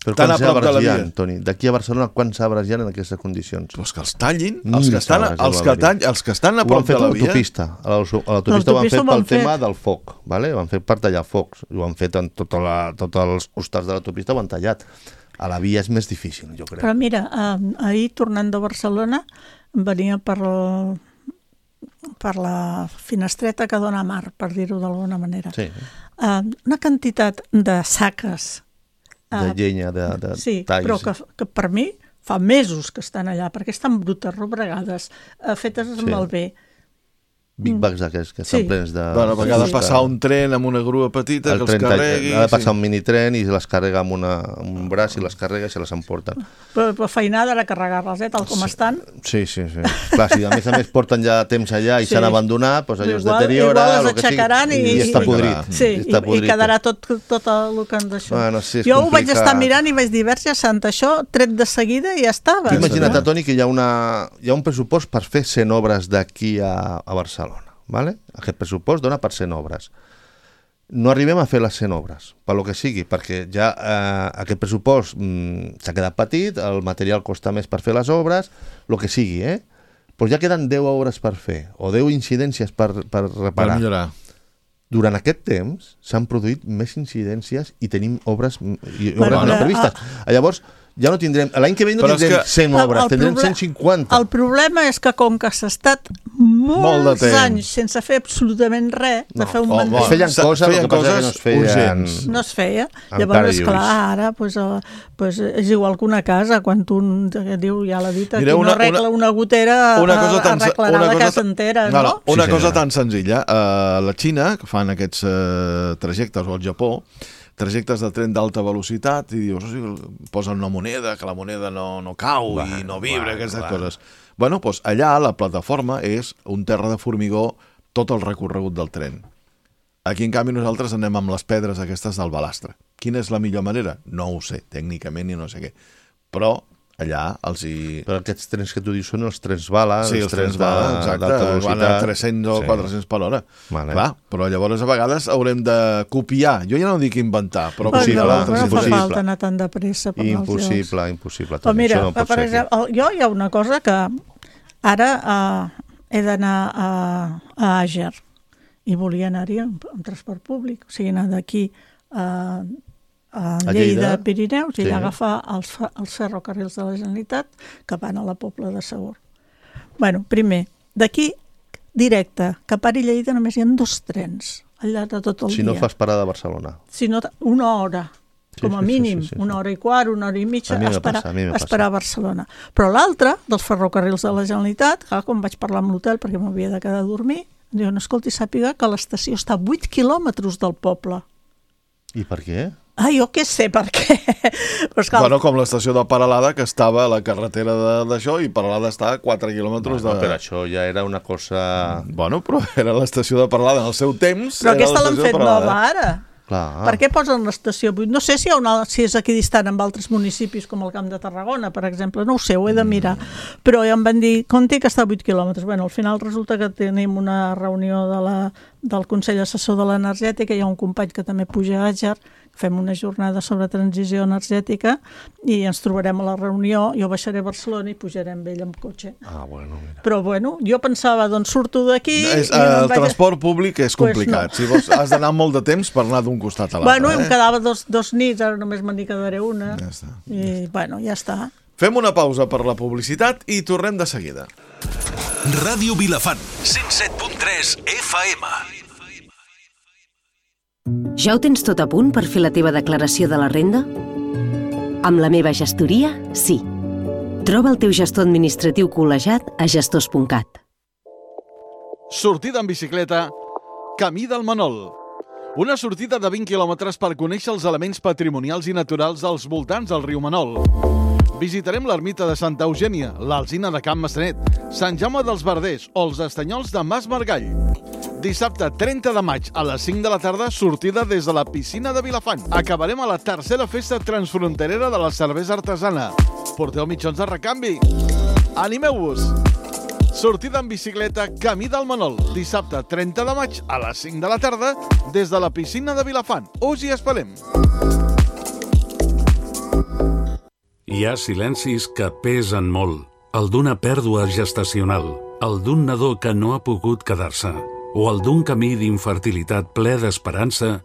però tan a prop de la via... via... Toni, d'aquí a Barcelona, quants arbres hi ha en aquestes condicions? Pues que els tallin, els que, estan, els, que tall, els que estan a prop de la via... L'autopista. A l'autopista ho han fet pel tema del foc, vale? Ho han fet per tallar focs, ho han fet en tots tota els costats de l'autopista, ho han tallat. A la via és més difícil, jo crec. Però mira, eh, ahir, tornant de Barcelona, venia per... El... per la finestreta que dona mar, per dir-ho d'alguna manera. Sí. Uh, una quantitat de saques... Uh, de llenya, de, de sí, talls. Però que, que per mi fa mesos que estan allà, perquè estan brutes, robregades, uh, fetes amb sí. el bé. Big bags d'aquests que estan sí. plens de... Bueno, perquè ha de passar un tren amb una grua petita el que els carregui... Ha de passar sí. un minitren i les carrega amb, una, amb un braç i les carrega i se les emporten. Però, però feinada era carregar-les, eh, tal com sí. estan. Sí, sí, sí. Clar, si a més a més porten ja temps allà i s'han sí. abandonat, doncs allò es deteriora... Igual les aixecaran i, i, i està podrit. Sí, i, està podrit. I quedarà tot, tot el que han d'això. Bueno, sí, jo complicat. Ho vaig estar mirant i vaig dir, Verge Santa, això tret de seguida i ja estava. Imagina't, Toni, que hi ha, una, hi ha un pressupost per fer cent obres d'aquí a, a Barcelona. Vale? Aquest pressupost dona per cent obres. No arribem a fer les cent obres, per lo que sigui, perquè ja eh, aquest pressupost mm, s'ha quedat petit, el material costa més per fer les obres, el que sigui, eh? Però ja queden deu obres per fer, o deu incidències per, per reparar. Per millorar. Durant aquest temps s'han produït més incidències i tenim obres, i obres bueno, no previstes. Ah, Llavors, ja no tindrem... L'any que ve no però tindrem que... cent obres, el tindrem cent cinquanta. El problema és que com que s'ha estat molts Molt anys sense fer absolutament res, no. de fer un oh, mandat... Es feien coses, el que passa que no es feien... Urgents. No es feia. Llavors, esclar, ara pues, uh, pues, és igual que una casa, quan tu diu, ja l'ha dit, qui no arregla una, una gotera una cosa tan, arreglarà una la casa entera, no? no? Una sí, cosa sí, tan senzilla. Uh, la Xina, que fan aquests uh, trajectes, o el Japó, trajectes de tren d'alta velocitat i dius, o sigui, posen una moneda, que la moneda no, no cau va, i no vibra, va, aquestes va. coses. Bueno, doncs allà la plataforma és un terra de formigó tot el recorregut del tren. Aquí, en canvi, nosaltres anem amb les pedres aquestes del balastre. Quina és la millor manera? No ho sé, tècnicament i no sé què. Però allà els hi... Però aquests trens que tu dius són els trens bala, sí, els trens bala, exacte, van a tres-cents o sí. quatre-cents per hora. Vale. Clar, però llavors a vegades haurem de copiar, jo ja no dic inventar, però impossible, no, no, no fa falta anar tan de pressa per impossible, impossible. Però mira, no per exemple, jo hi ha una cosa que ara uh, he d'anar a, a Àger i volia anar-hi amb, amb transport públic, o sigui, anar d'aquí a... a Lleida, a Pirineus, i sí. allà agafar els, els ferrocarrils de la Generalitat que van a la Pobla de Segur. Bueno, primer, d'aquí directe, cap a Lleida només hi ha dos trens al llarg de tot el si dia. Si no fas parada a Barcelona. Si no, una hora, sí, com a sí, mínim, sí, sí, sí. una hora i quart, una hora i mitja, a esperar, passa, a, a esperar a Barcelona. Però l'altre, dels ferrocarrils de la Generalitat, clar, quan vaig parlar amb l'hotel perquè m'havia de quedar a dormir, diuen, escolti, sàpiga que l'estació està a vuit quilòmetres del poble. I per què? Ah, jo què sé per què. Però esclar... Bueno, com l'estació de Peralada, que estava a la carretera d'això, i Peralada està a quatre quilòmetres bueno, de... Però això ja era una cosa... Bueno, però era l'estació de Peralada en el seu temps. Però aquesta l'han fet nova ara. Clar. Per què posen l'estació vuit? No sé si, hi ha una, si és aquí distant amb altres municipis com el Camp de Tarragona, per exemple, no ho sé, ho he de mirar. Mm. Però ja em van dir, compte que està a vuit quilòmetres. Bueno, al final resulta que tenim una reunió de la, del Consell Assessor de l'Energètica, hi ha un company que també puja a Àger, fem una jornada sobre transició energètica i ens trobarem a la reunió, jo baixaré a Barcelona i pujarem amb ell amb cotxe. Ah, bueno, mira. Però bueno, jo pensava, doncs surto d'aquí... No, és, el vaig... transport públic és complicat. Pues no. Si vols, has d'anar molt de temps per anar d'un costat a l'altre. Bueno, eh? em quedava dos, dos nits, ara només me'n quedaré una. Ja està. I bueno, ja està. Fem una pausa per la publicitat i tornem de seguida. Ràdio Vilafant, cent set punt tres F M. Ja ho tens tot a punt per fer la teva declaració de la renda? Amb la meva gestoria, sí. Troba el teu gestor administratiu col·legiat a gestors punt cat. Sortida en bicicleta, Camí del Manol. Una sortida de vint quilòmetres per conèixer els elements patrimonials i naturals als voltants del riu Manol. Visitarem l'ermita de Santa Eugènia, l'Alzina de Can Maçanet, Sant Jaume dels Verders o els estanyols de Mas Margall. Dissabte trenta de maig a les cinc de la tarda, sortida des de la piscina de Vilafant. Acabarem a la tercera festa transfronterera de la cervesa artesana. Porteu mitjons de recanvi. Animeu-vos! Sortida en bicicleta Camí del Manol. Dissabte trenta de maig a les cinc de la tarda des de la piscina de Vilafant. Us hi esperem! Hi ha silencis que pesen molt. El d'una pèrdua gestacional, el d'un nadó que no ha pogut quedar-se, o el d'un camí d'infertilitat ple d'esperança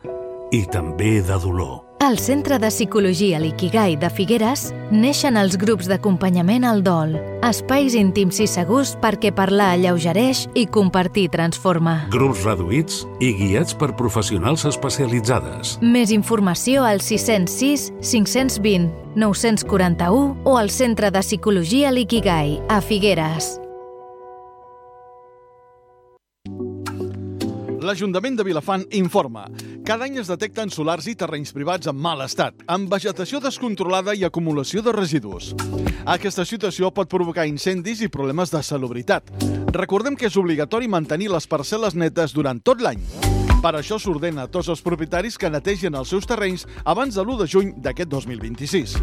i també de dolor. Al Centre de Psicologia L'Ikigai de Figueres neixen els grups d'acompanyament al dol, espais íntims i segurs perquè parlar alleugereix i compartir transforma. Grups reduïts i guiats per professionals especialitzades. Més informació al sis zero sis, cinc dos zero, nou quatre u o al Centre de Psicologia L'Ikigai a Figueres. L'Ajuntament de Vilafant informa. Cada any es detecten solars i terrenys privats en mal estat, amb vegetació descontrolada i acumulació de residus. Aquesta situació pot provocar incendis i problemes de salubritat. Recordem que és obligatori mantenir les parcel·les netes durant tot l'any. Per això s'ordena a tots els propietaris que netegin els seus terrenys abans de l'u de juny d'aquest dos mil vint-i-sis.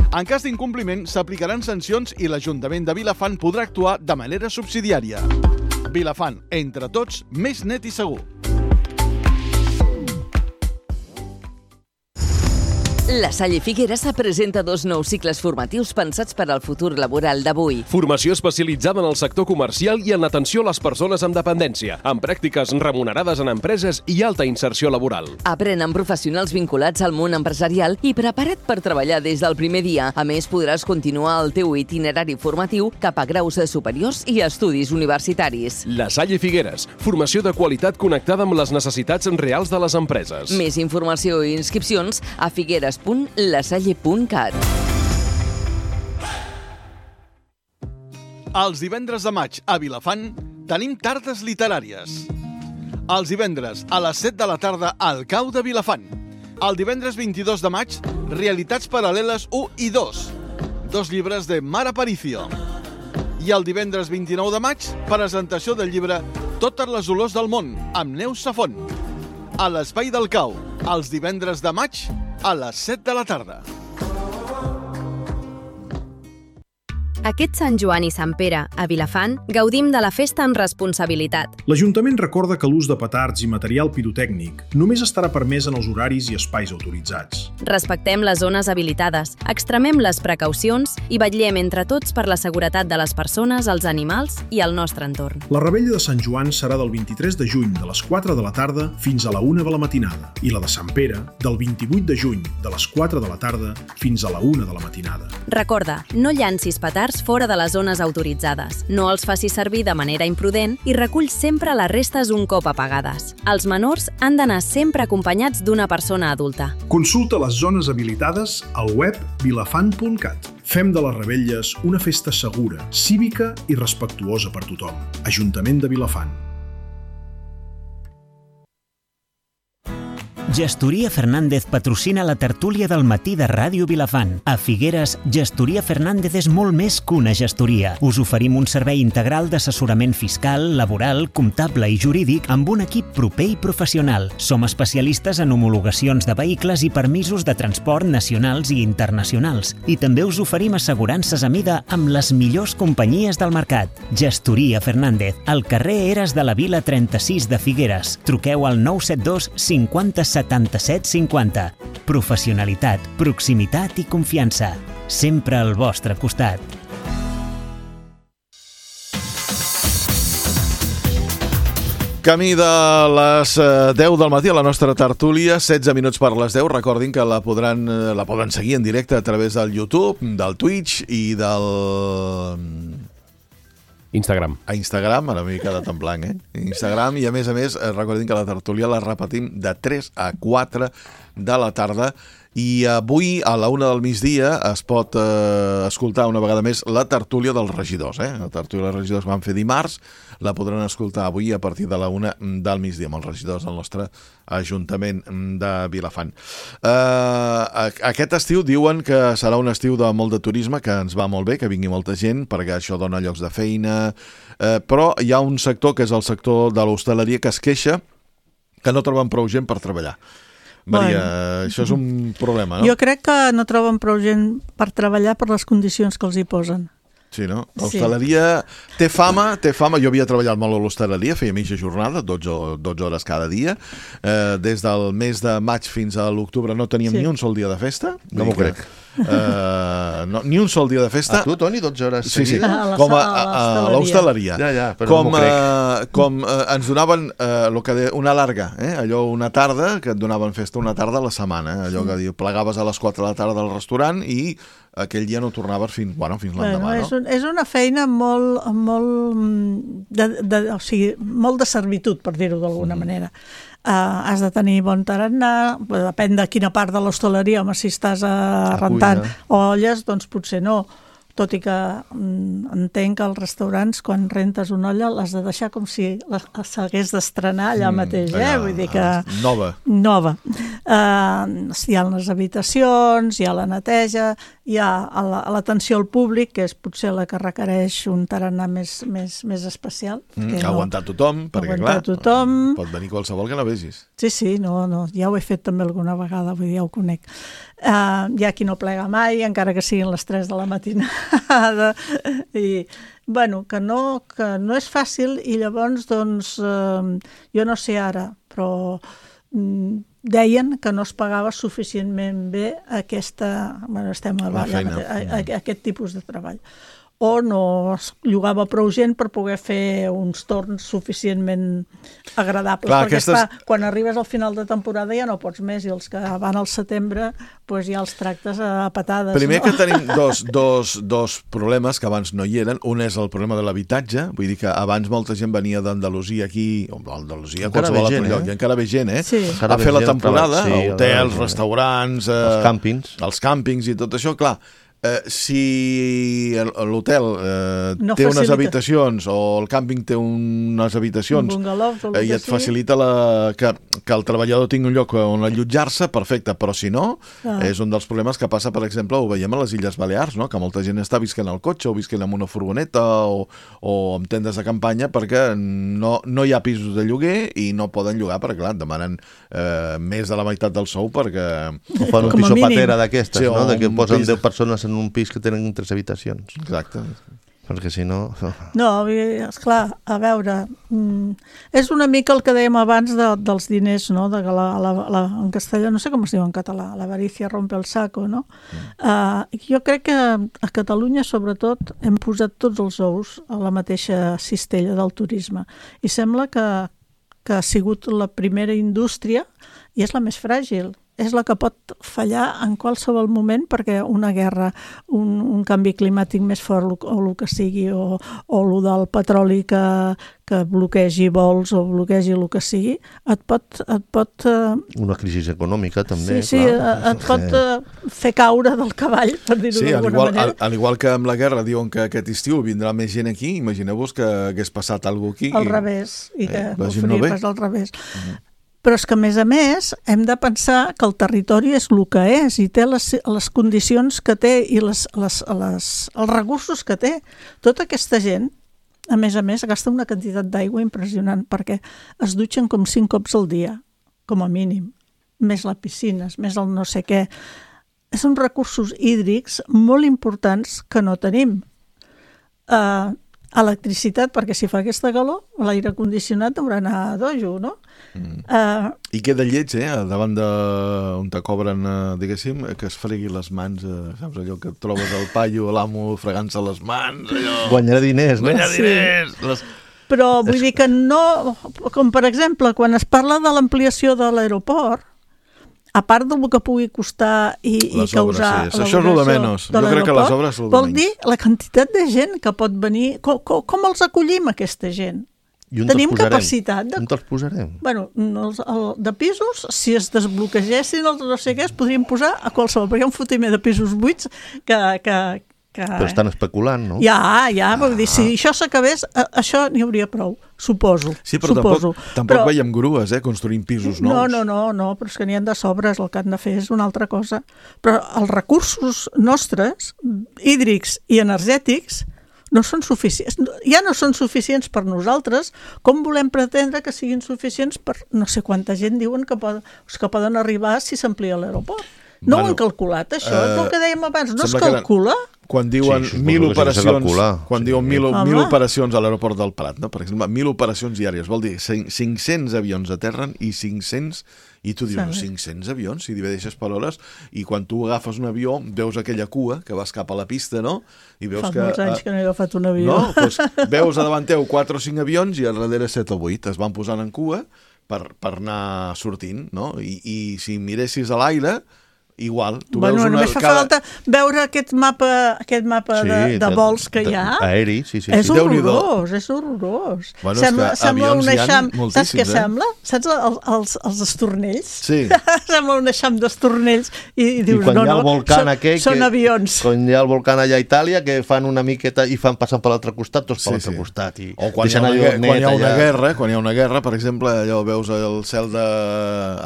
En cas d'incompliment, s'aplicaran sancions i l'Ajuntament de Vilafant podrà actuar de manera subsidiària. Vilafant, entre tots, més net i segur. La Salle Figueres presenta dos nous cicles formatius pensats per al futur laboral d'avui. Formació especialitzada en el sector comercial i en l'atenció a les persones amb dependència, amb pràctiques remunerades en empreses i alta inserció laboral. Aprèn amb professionals vinculats al món empresarial i preparat per treballar des del primer dia. A més, podràs continuar el teu itinerari formatiu cap a graus superiors i estudis universitaris. La Salle Figueres, formació de qualitat connectada amb les necessitats reals de les empreses. Més informació i inscripcions a figueres punt lasalle punt cat. Els divendres de maig a Vilafant tenim tardes literàries. Els divendres a les set de la tarda al Cau de Vilafant. El divendres vint-i-dos de maig, Realitats paral·leles u i dos. Dos llibres de Mar Aparicio. I el divendres vint-i-nou de maig, presentació del llibre Totes les olors del món, amb Neus Safont. A l'Espai del Cau, els divendres de maig, a les set de la tarda. Aquest Sant Joan i Sant Pere, a Vilafant, gaudim de la festa amb responsabilitat. L'Ajuntament recorda que l'ús de petards i material pirotècnic només estarà permès en els horaris i espais autoritzats. Respectem les zones habilitades, extremem les precaucions i vetllem entre tots per la seguretat de les persones, els animals i el nostre entorn. La revetlla de Sant Joan serà del vint-i-tres de juny de les quatre de la tarda fins a la una de la matinada i la de Sant Pere del vint-i-vuit de juny de les quatre de la tarda fins a la una de la matinada. Recorda, no llancis petards fora de les zones autoritzades, no els facis servir de manera imprudent i recull sempre les restes un cop apagades. Els menors han d'anar sempre acompanyats d'una persona adulta. Consulta les zones habilitades al web vilafant punt cat. Fem de les revetlles una festa segura, cívica i respectuosa per tothom. Ajuntament de Vilafant. Gestoria Fernández patrocina la tertúlia del matí de Ràdio Vilafant. A Figueres, Gestoria Fernández és molt més que una gestoria. Us oferim un servei integral d'assessorament fiscal, laboral, comptable i jurídic amb un equip proper i professional. Som especialistes en homologacions de vehicles i permisos de transport nacionals i internacionals. I també us oferim assegurances a mida amb les millors companyies del mercat. Gestoria Fernández, al carrer Eres de la Vila trenta-sis de Figueres. Truqueu al nou set dos cinquanta setanta-set cinquanta. Professionalitat, proximitat i confiança. Sempre al vostre costat. Camí de les deu del matí a la nostra tertúlia, setze minuts per les deu. Recordin que la podran, la poden seguir en directe a través del YouTube, del Twitch i del... Instagram. A Instagram, ara m'he quedat en blanc, eh? Instagram, i a més a més, recordin que la tertúlia la repetim de tres a quatre de la tarda, i avui a la una del migdia es pot eh, escoltar una vegada més la tertúlia dels regidors, eh? La tertúlia dels regidors que vam fer dimarts, la podran escoltar avui a partir de la una del migdia amb els regidors del nostre Ajuntament de Vilafant. Eh, aquest estiu diuen que serà un estiu de molt de turisme, que ens va molt bé, que vingui molta gent, perquè això dona llocs de feina, eh, però hi ha un sector, que és el sector de l'hostaleria, que es queixa que no troben prou gent per treballar. Maria, bueno, això és un problema, no? Jo crec que no troben prou gent per treballar per les condicions que els hi posen. Sí, no? L'hostaleria sí. té fama, té fama. Jo havia treballat molt a l'hostaleria, feia mitja jornada, dotze, dotze hores cada dia. Eh, des del mes de maig fins a l'octubre no teníem sí. ni un sol dia de festa. No m'ho crec. Uh, no, ni un sol dia de festa. A tu, Toni, dotze hores sí, sí. seguides? Com a, a, a l'hostaleria. Ja, ja, però com, no m'ho crec. Uh, com uh, ens donaven uh, lo que de, una larga, eh? Allò una tarda, que et donaven festa una tarda a la setmana. Eh? Allò que diu, plegaves a les quatre de la tarda del restaurant i aquell dia no tornaves fins, bueno, fins l'endemà, bueno, no? És, un, és una feina molt, molt, de, de, o sigui, molt de servitud, per dir-ho d'alguna mm. manera. Uh, has de tenir bon tarannà, depèn de quina part de l'hostaleria, home, si estàs uh, rentant olles, doncs potser no. Tot i que mm, entenc que als restaurants, quan rentes una olla, l'has de deixar com si s'hagués d'estrenar allà mm, mateix, eh? Allà, vull dir que... Nova. Nova. Uh, hi ha les habitacions, hi ha la neteja, hi ha l'atenció al públic, que és potser la que requereix un tarannà més, més, més especial. Mm, no, aguantar tothom, perquè aguantar clar, tothom. Pot venir qualsevol que no vegis. Sí, sí, no, no, ja ho he fet també alguna vegada, vull dir, ja ho conec. Uh, hi ha qui no plega mai, encara que siguin les tres de la matinada, i bueno, que no, que no és fàcil, i llavors doncs uh, jo no sé ara, però um, deien que no es pagava suficientment bé aquesta, bueno, estem a, a, a, a, a aquest tipus de treball, o no es llogava prou gent per poder fer uns torns suficientment agradables. Clar, perquè aquestes... està, quan arribes al final de temporada ja no pots més, i els que van al setembre pues ja els tractes a patades. Primer no? que tenim dos, dos, dos problemes que abans no hi eren. Un és el problema de l'habitatge, vull dir que abans molta gent venia d'Andalusia aquí, o d'Andalusia, qualsevol altre lloc, eh? I encara ve gent, eh? Sí. A fer la temporada, sí, hotels, restaurants... Eh, els càmpings. Els càmpings i tot això, clar. Eh, si l'hotel eh, no té facilita. unes habitacions o el càmping té unes habitacions un eh, i et facilita la, que, que el treballador tingui un lloc on allotjar-se, perfecte, però si no, ah. és un dels problemes que passa, per exemple, ho veiem a les Illes Balears, no? Que molta gent està visquent al cotxe o visquent en una furgoneta o, o amb tendes de campanya perquè no, no hi ha pisos de lloguer i no poden llogar perquè, clar, demanen eh, més de la meitat del sou perquè... O fan un piso patera d'aquestes, sí, no? De que posen deu persones en en un pis que tenen tres habitacions. Exacte. Perquè si no... No, esclar, a veure, és una mica el que dèiem abans de, dels diners, no? De la, la, la, en castellà, no sé com es diu en català, l'avarícia rompe el saco, no? Mm. Uh, jo crec que a Catalunya, sobretot, hem posat tots els ous a la mateixa cistella del turisme. I sembla que, que ha sigut la primera indústria i és la més fràgil. És la que pot fallar en qualsevol moment perquè una guerra, un, un canvi climàtic més fort o, o el que sigui, o, o el del petroli que, que bloquegi vols o bloquegi el que sigui, et pot... Et pot uh... Una crisi econòmica també, sí, sí, clar. Sí, et pot uh, fer caure del cavall, per dir-ho sí, d'alguna igual, manera. Al, al igual que amb la guerra diuen que aquest estiu vindrà més gent aquí, imagineu-vos que hagués passat alguna cosa aquí. Al revés, i que eh, ho faria no pas al revés. Mm-hmm. Però és que, a més a més, hem de pensar que el territori és el que és i té les, les condicions que té i les, les, les, els recursos que té. Tota aquesta gent, a més a més, gasta una quantitat d'aigua impressionant perquè es dutxen com cinc cops al dia, com a mínim, més les piscines, més el no sé què. Són recursos hídrics molt importants que no tenim. Uh, electricitat, perquè si fa aquesta calor, l'aire condicionat haurà d'anar a dojo, no? Mm. Uh, I queda lleig, eh? Davant de on te cobren, eh, diguéssim, que es fregui les mans, eh, saps allò que et trobes al paio, l'amo fregant-se les mans, allò... Guanyarà diners, no? Guanyar diners! Sí. Les... Però vull dir que no... Com, per exemple, quan es parla de l'ampliació de l'aeroport, a part del que pugui costar i, i causar... Sí. Això és el de menys. Jo crec que les obres són el de vol dir la quantitat de gent que pot venir... Com, com, com els acollim, aquesta gent? Tenim capacitat de... On te'ls posarem? Bueno, els, el, de pisos, si es desbloquegessin els no sé què, es podrien posar a qualsevol, perquè hi ha un fotimer de pisos buits que... que, que... Però estan especulant, no? Ja, ja, ah. Vull dir, si això s'acabés, això n'hi hauria prou, suposo. Sí, però suposo. tampoc, tampoc però... veiem grues, eh, construint pisos nous. No, no, no, no, però és que n'hi ha de sobres, el que han de fer és una altra cosa. Però els recursos nostres, hídrics i energètics, no són suficients, ja no són suficients per nosaltres, com volem pretendre que siguin suficients per no sé quanta gent diuen que, pod que poden arribar si s'amplia l'aeroport. No bueno, ho han calculat, això, uh, és el que dèiem abans, no es calcula? Quan diuen sí, mil operacions, quan sí. diuen mil, mil operacions a l'aeroport del Prat, no? Per exemple, mil operacions diàries, vol dir cinc-cents avions aterren i cinc-cents, i tu dius, sí. cinc-cents avions, si divideixes per hores, i quan tu agafes un avió, veus aquella cua que vas cap a la pista, no? I veus Fa que, molts anys que no he agafat un avió. No? Pues veus a davant teu quatre o cinc avions i a darrere set o vuit es van posant en cua per, per anar sortint, no? I, i si miressis a l'aire, igual, tu bueno, veus una... Només fa cada... falta veure aquest mapa, aquest mapa sí, de, de vols que hi ha. Aeri, sí, sí. És sí. horrorós, és horrorós. Bueno, sembla, és que sembla avions un eixam... hi ha Saps què eh? sembla? Saps el, els, els estornells? Sí. Sembla un eixam d'estornells i, i dius, I quan no, hi ha el no, volcán són, aquell són que, avions. Quan hi ha el volcán allà a Itàlia, que fan una miqueta i fan passant per l'altre costat, tots per sí, l'altre sí. costat. I o quan hi, ha una, quan hi ha una guerra, quan hi ha una guerra, per exemple, allò veus el cel de...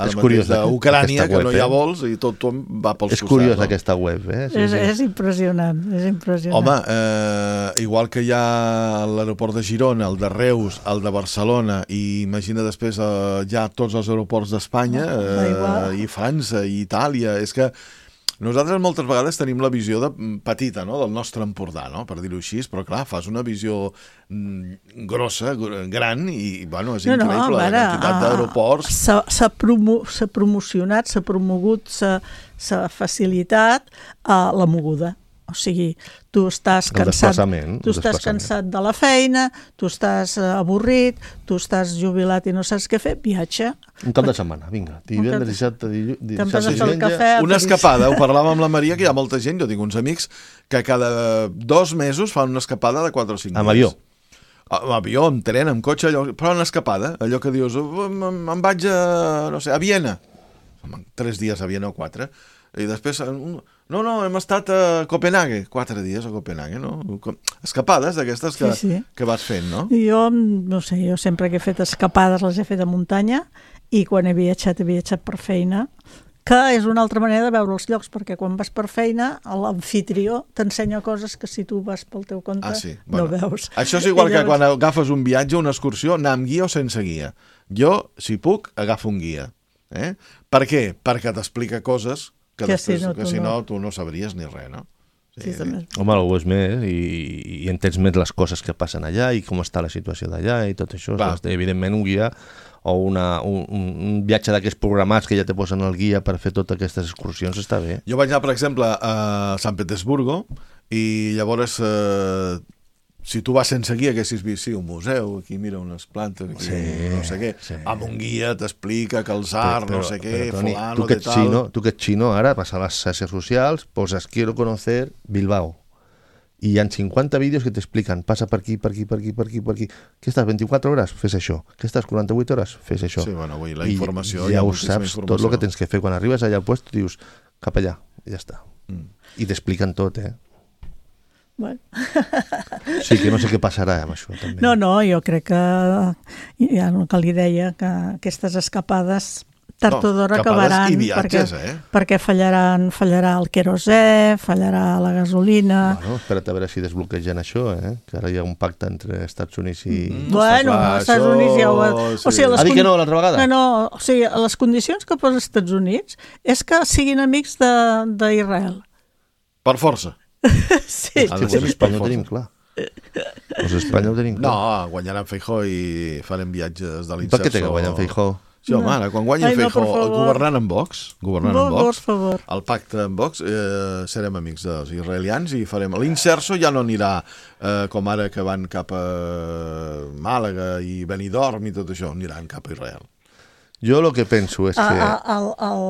És curiós, d'Ucrània, que no hi ha vols i tot va pels costats. És curiós aquesta web, eh? Sí, és, sí. és impressionant, és impressionant. Home, eh, igual que hi ha l'aeroport de Girona, el de Reus, el de Barcelona, i imagina després eh, ja tots els aeroports d'Espanya, eh, i França, i Itàlia, és que nosaltres moltes vegades tenim la visió de, petita, no?, del nostre Empordà, no?, per dir-ho així, però clar, fas una visió mm, grossa, gran, i bueno, és increïble no, no, la quantitat d'aeroports. S'ha promo promocionat, s'ha promogut, s'ha facilitat uh, la moguda. O sigui, tu estàs cansat, tu estàs cansat de la feina, tu estàs avorrit, tu estàs jubilat i no saps què fer, viatge. Un cap de setmana, vinga. Divendres, dissabte, diumenge. Una escapada, ho parlàvem amb la Maria, que hi ha molta gent, jo tinc uns amics, que cada dos mesos fan una escapada de quatre o cinc dies. Amb avió. Amb avió, amb tren, amb cotxe, allò, però una escapada, allò que dius, em vaig a, no sé, a Viena. Tres dies a Viena o quatre. I després, no, no, hem estat a Copenhague, quatre dies a Copenhague, no? Escapades d'aquestes que, sí, sí. que vas fent, no? Jo, no sé, jo sempre que he fet escapades les he fet a muntanya i quan he viatjat, he viatjat per feina, que és una altra manera de veure els llocs, perquè quan vas per feina, l'amfitrió t'ensenya coses que si tu vas pel teu compte ah, sí. bueno, no veus. Això és igual que quan agafes un viatge, una excursió, anar amb guia o sense guia. Jo, si puc, agafo un guia. Eh? Per què? Perquè t'explica coses que, que, després, si, no, que si no, no tu no sabries ni res, no? Sí, sí. Home, ho és més i, i entens més les coses que passen allà i com està la situació d'allà i tot això. Clar. Evidentment, un guia o una, un, un viatge d'aquests programats que ja te posen el guia per fer totes aquestes excursions està bé. Jo vaig anar, per exemple, a Sant Petersburgo i llavors... Eh, si tu vas sense guia, haguessis vist, sí, un museu, aquí mira unes plantes, aquí sí, no sé què, sí. Amb un guia t'explica que el tsar, no sé què, però, Toni, fulano, tu que de tal... Xino, tu que ets xino, ara vas a les xarxes socials, poses quiero conocer Bilbao, i hi ha cinquanta vídeos que t'expliquen, passa per aquí, per aquí, per aquí, per aquí, per aquí, que estàs vint-i-quatre hores? Fes això. Que estàs quaranta-vuit hores? Fes això. Sí, bueno, avui la informació... I ja ho saps, tot el que tens que fer. Quan arribes allà al lloc, dius, cap allà, i ja està. Mm. I t'expliquen tot, eh? Bueno. Sí, que no sé què passarà amb això també. No, no, jo crec que ja el que li deia, que aquestes escapades tard o d'hora acabaran, viatges, perquè, eh? perquè fallaran, fallarà el querosè, fallarà la gasolina... Bueno, espera't a veure si desbloquegen això, eh? Que ara hi ha un pacte entre Estats Units i... Mm. Bueno, als Estats Units ja ho... Sí. O sigui, ha dit que no l'altra vegada? No, no, o sigui, les condicions que posa els Estats Units és que siguin amics d'Israel. Per força. Sí. Ah, doncs l'Espanya ho tenim clar. Els Espanya ho tenim clar. No, guanyaran Feijóo i farem viatges de l'inserso. Per què té que guanyar Feijóo? Sí, home, ara, quan guanyi Feijóo, governant amb Vox, governant amb Vox, el pacte amb Vox, eh, serem amics dels israelians i farem... L'inserso ja no anirà eh, com ara que van cap a Màlaga i Benidorm i tot això, aniran cap a Israel. Jo el que penso és que... El, el,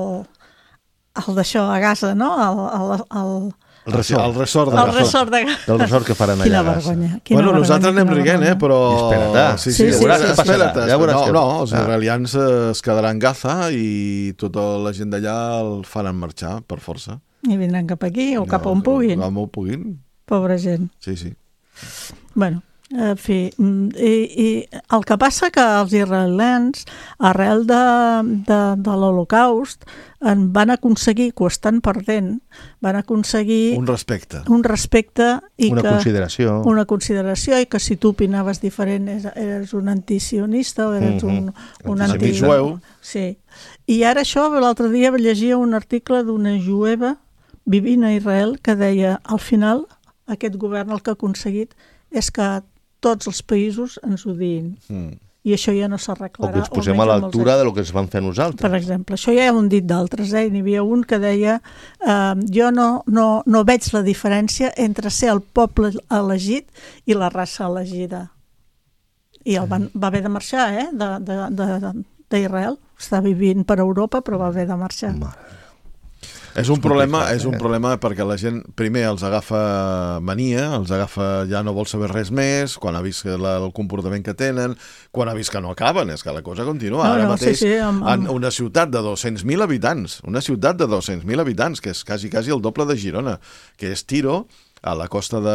el d'això a Gaza, no? El... el, el... El resort, el resort de el resort de Gaza. El resort que faran allà. Quina vergonya. Quina bueno, vergonya, nosaltres anem riguent, eh, però... Espera't, sí, sí, sí, sí, veuràs, sí, espera't, sí. Ja veuràs no, que... no, els israelians es quedaran en Gaza i tota la gent d'allà el faran marxar, per força. I vindran cap aquí o cap on puguin. Cap on puguin. Pobra gent. Sí, sí. Bueno, en fi, i, i el que passa que els israelians, arrel de, de, de l'Holocaust, van aconseguir, que ho estan perdent, van aconseguir... Un respecte. Un respecte i una que... consideració. Una consideració, i que si tu opinaves diferent eres un antisionista o eres un, mm-hmm. un anti... Antijueu. Sí. I ara això, l'altre dia llegia un article d'una jueva vivint a Israel que deia, al final, aquest govern el que ha aconseguit és que tots els països ens odiïn. Mm. I això ja no s'arreglarà. O que ens posem a l'altura del que ens van fer nosaltres. Per exemple, això ja ho han dit d'altres, eh? N'hi havia un que deia eh, jo no, no, no veig la diferència entre ser el poble elegit i la raça elegida. I el van, va haver de marxar, eh? d'Israel. Està vivint per Europa, però va haver de marxar. Mare. És un problema, és un problema perquè la gent primer els agafa mania, els agafa, ja no vol saber res més, quan ha vist la, el comportament que tenen, quan ha vist que no acaben, és que la cosa continua. No, Ara no, mateix, sí, sí, amb, amb... en una ciutat de dos-cents mil habitants, una ciutat de dos-cents mil habitants, que és quasi, quasi el doble de Girona, que és Tiro, a la costa de,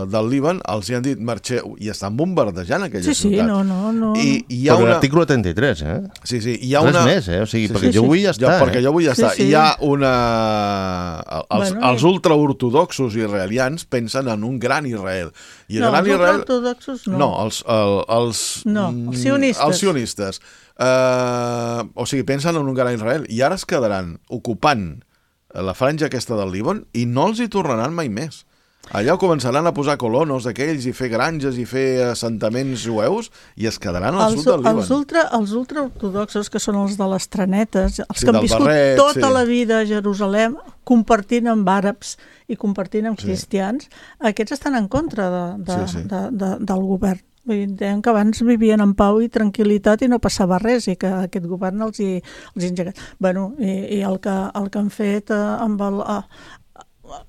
del Líban, els hi han dit marxeu, i estan bombardejant aquella sí, sí, ciutat. No, no, no. I, i hi ha però una... l'article trenta-tres, eh? Sí, sí, hi ha res una... més, eh? O sigui, sí, perquè sí, jo sí. vull estar, jo, perquè eh? jo vull estar. Sí, sí. Hi ha una... Els, bueno, els ultraortodoxos israelians pensen en un gran Israel. I no, gran els Israel... ultraortodoxos no. No, els... El, els no, els sionistes. Els sionistes. Uh, o sigui, pensen en un gran Israel. I ara es quedaran ocupant la franja aquesta del Líban i no els hi tornaran mai més. Allà començaran a posar colonos d'aquells i fer granges i fer assentaments jueus i es quedaran al els, sud del Líban. Els, ultra, els ultraortodoxos, que són els de les trenetes, els sí, que han viscut barret, tota sí. la vida a Jerusalem, compartint amb àrabs i compartint amb sí. cristians, aquests estan en contra de, de, sí, sí. De, de, del govern. Deien que abans vivien en pau i tranquil·litat i no passava res i que aquest govern els hi, els hi engegat. Bueno, i, i el, que, el que han fet eh, amb el... Eh,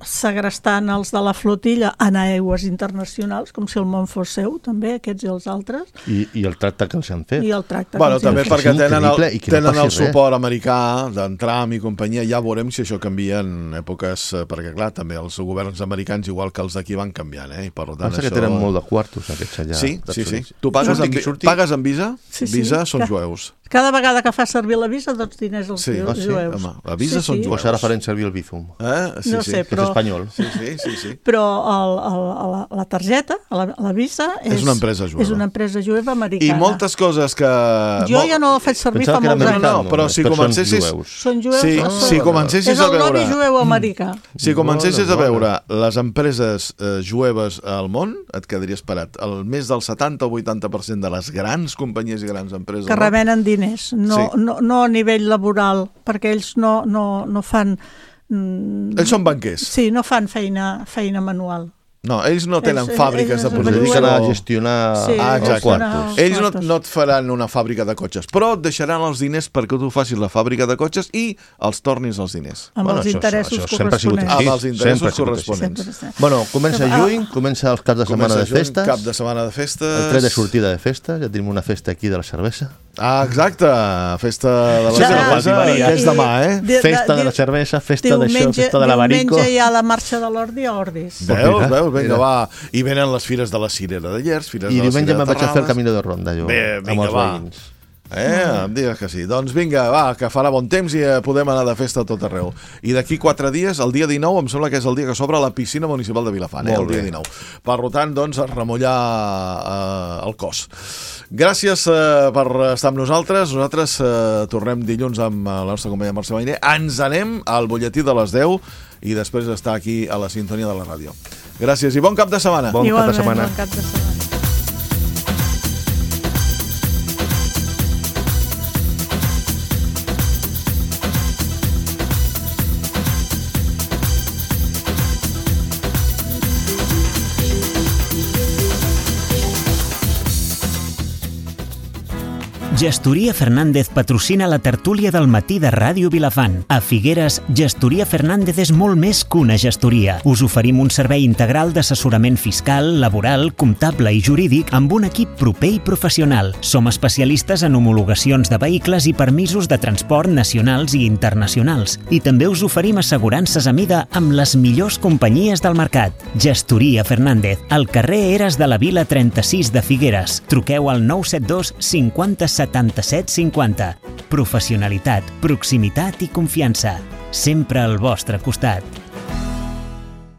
segrestant els de la flotilla en aigües internacionals, com si el món fos seu, també, aquests i els altres. I, i el tracte que els han fet. I el tracte bueno, que també els perquè tenen el, no tenen el suport res. americà d'en Trump i companyia. Ja veurem si això canvia en èpoques, perquè clar, també els governs americans, igual que els d'aquí, van canviant, eh? I per tant, pensa això... que tenen molt de quartos, aquests allà. Sí, sí, sí. Tu pagues, surti, amb, surti. pagues amb Visa? Sí, sí. Visa són ja. jueus. Cada vegada que fa servir la Visa, tots diners als Sí, jueus. ah, sí? Home, la Visa són jueus. Pues ara farem servir el Bizum. Eh? Sí, No sí. sé, Que és però- espanyol. Sí, sí, sí, sí. Però el, el, la, la targeta, la, la Visa... És una empresa jueva. És una empresa jueva I americana. moltes coses que... Jo ja no la faig servir Pensava fa que era molts anys. americano. No, però si Però són comencessis... jueus. Són jueus? Sí, Ah. si comencessis És a el veure... lobby jueu americà. Si comencessis a Bona, veure les empreses eh, jueves al món, et quedaries parat. El més del setanta o vuitanta per cent de les grans companyies i grans empreses... Que al món- remenen diners, no, Sí. no, no a nivell laboral, perquè ells no, no, no fan... Mm, Ells són banquers. Sí, no fan feina, feina manual. No, ells no tenen Ells- fàbriques ells de es Es producció. dediquen a gestionar Sí, Ah, els exacte. quartos. Ells no, quartos. no et faran una fàbrica de cotxes, però et deixaran els diners perquè tu facis la fàbrica de cotxes i els tornis els diners. Amb Bueno, els això- interessos això sempre ha sigut corresponents. així. Amb els interessos Sempre ha sigut així. corresponents. Sempre està. Bueno, comença Ah. juny, comença els caps de setmana Comença de juny, festes, cap de setmana de festes... el tret de sortida de festes, ja tenim una festa aquí de la cervesa. Ah, exacte, festa de la Sí, sí, cervesa, no, que és demà, eh? Di- Festa de la di- cervesa, festa d'això, diumenge- festa de l'abarico. Diumenge hi ha la marxa de l'Ordi a Ordis. Veus, mira, veus, vinga, mira. va. I venen les fires de la Cirera de Llers, fires I de la diumenge Cirera me'n de vaig a fer el Terrades. camí de ronda, jo, Bé, amb vinga, els va. veïns. Eh, em digues que sí. Doncs vinga, va, que farà bon temps i eh, podem anar de festa a tot arreu. I d'aquí quatre dies, el dia dinou, em sembla que és el dia que s'obre la piscina municipal de Vilafant, eh, Molt el dia bé. dinou. Per tant, doncs, a remullar eh, el cos. Gràcies eh, per estar amb nosaltres. Nosaltres eh, tornem dilluns amb la nostra companya Mercè Mariner. Ens anem al butlletí de les deu i després estar aquí a la sintonia de la ràdio. Gràcies i bon cap de setmana. Bon cap de Igualment, setmana. bon cap de setmana. Gestoria Fernández patrocina la tertúlia del matí de Ràdio Vilafant. A Figueres, Gestoria Fernández és molt més que una gestoria. Us oferim un servei integral d'assessorament fiscal, laboral, comptable i jurídic amb un equip proper i professional. Som especialistes en homologacions de vehicles i permisos de transport nacionals i internacionals. I també us oferim assegurances a mida amb les millors companyies del mercat. Gestoria Fernández, al carrer Eres de la Vila trenta-sis de Figueres. Truqueu al nou set dos cinquanta setanta-set cinquanta. Professionalitat, proximitat i confiança. Sempre al vostre costat.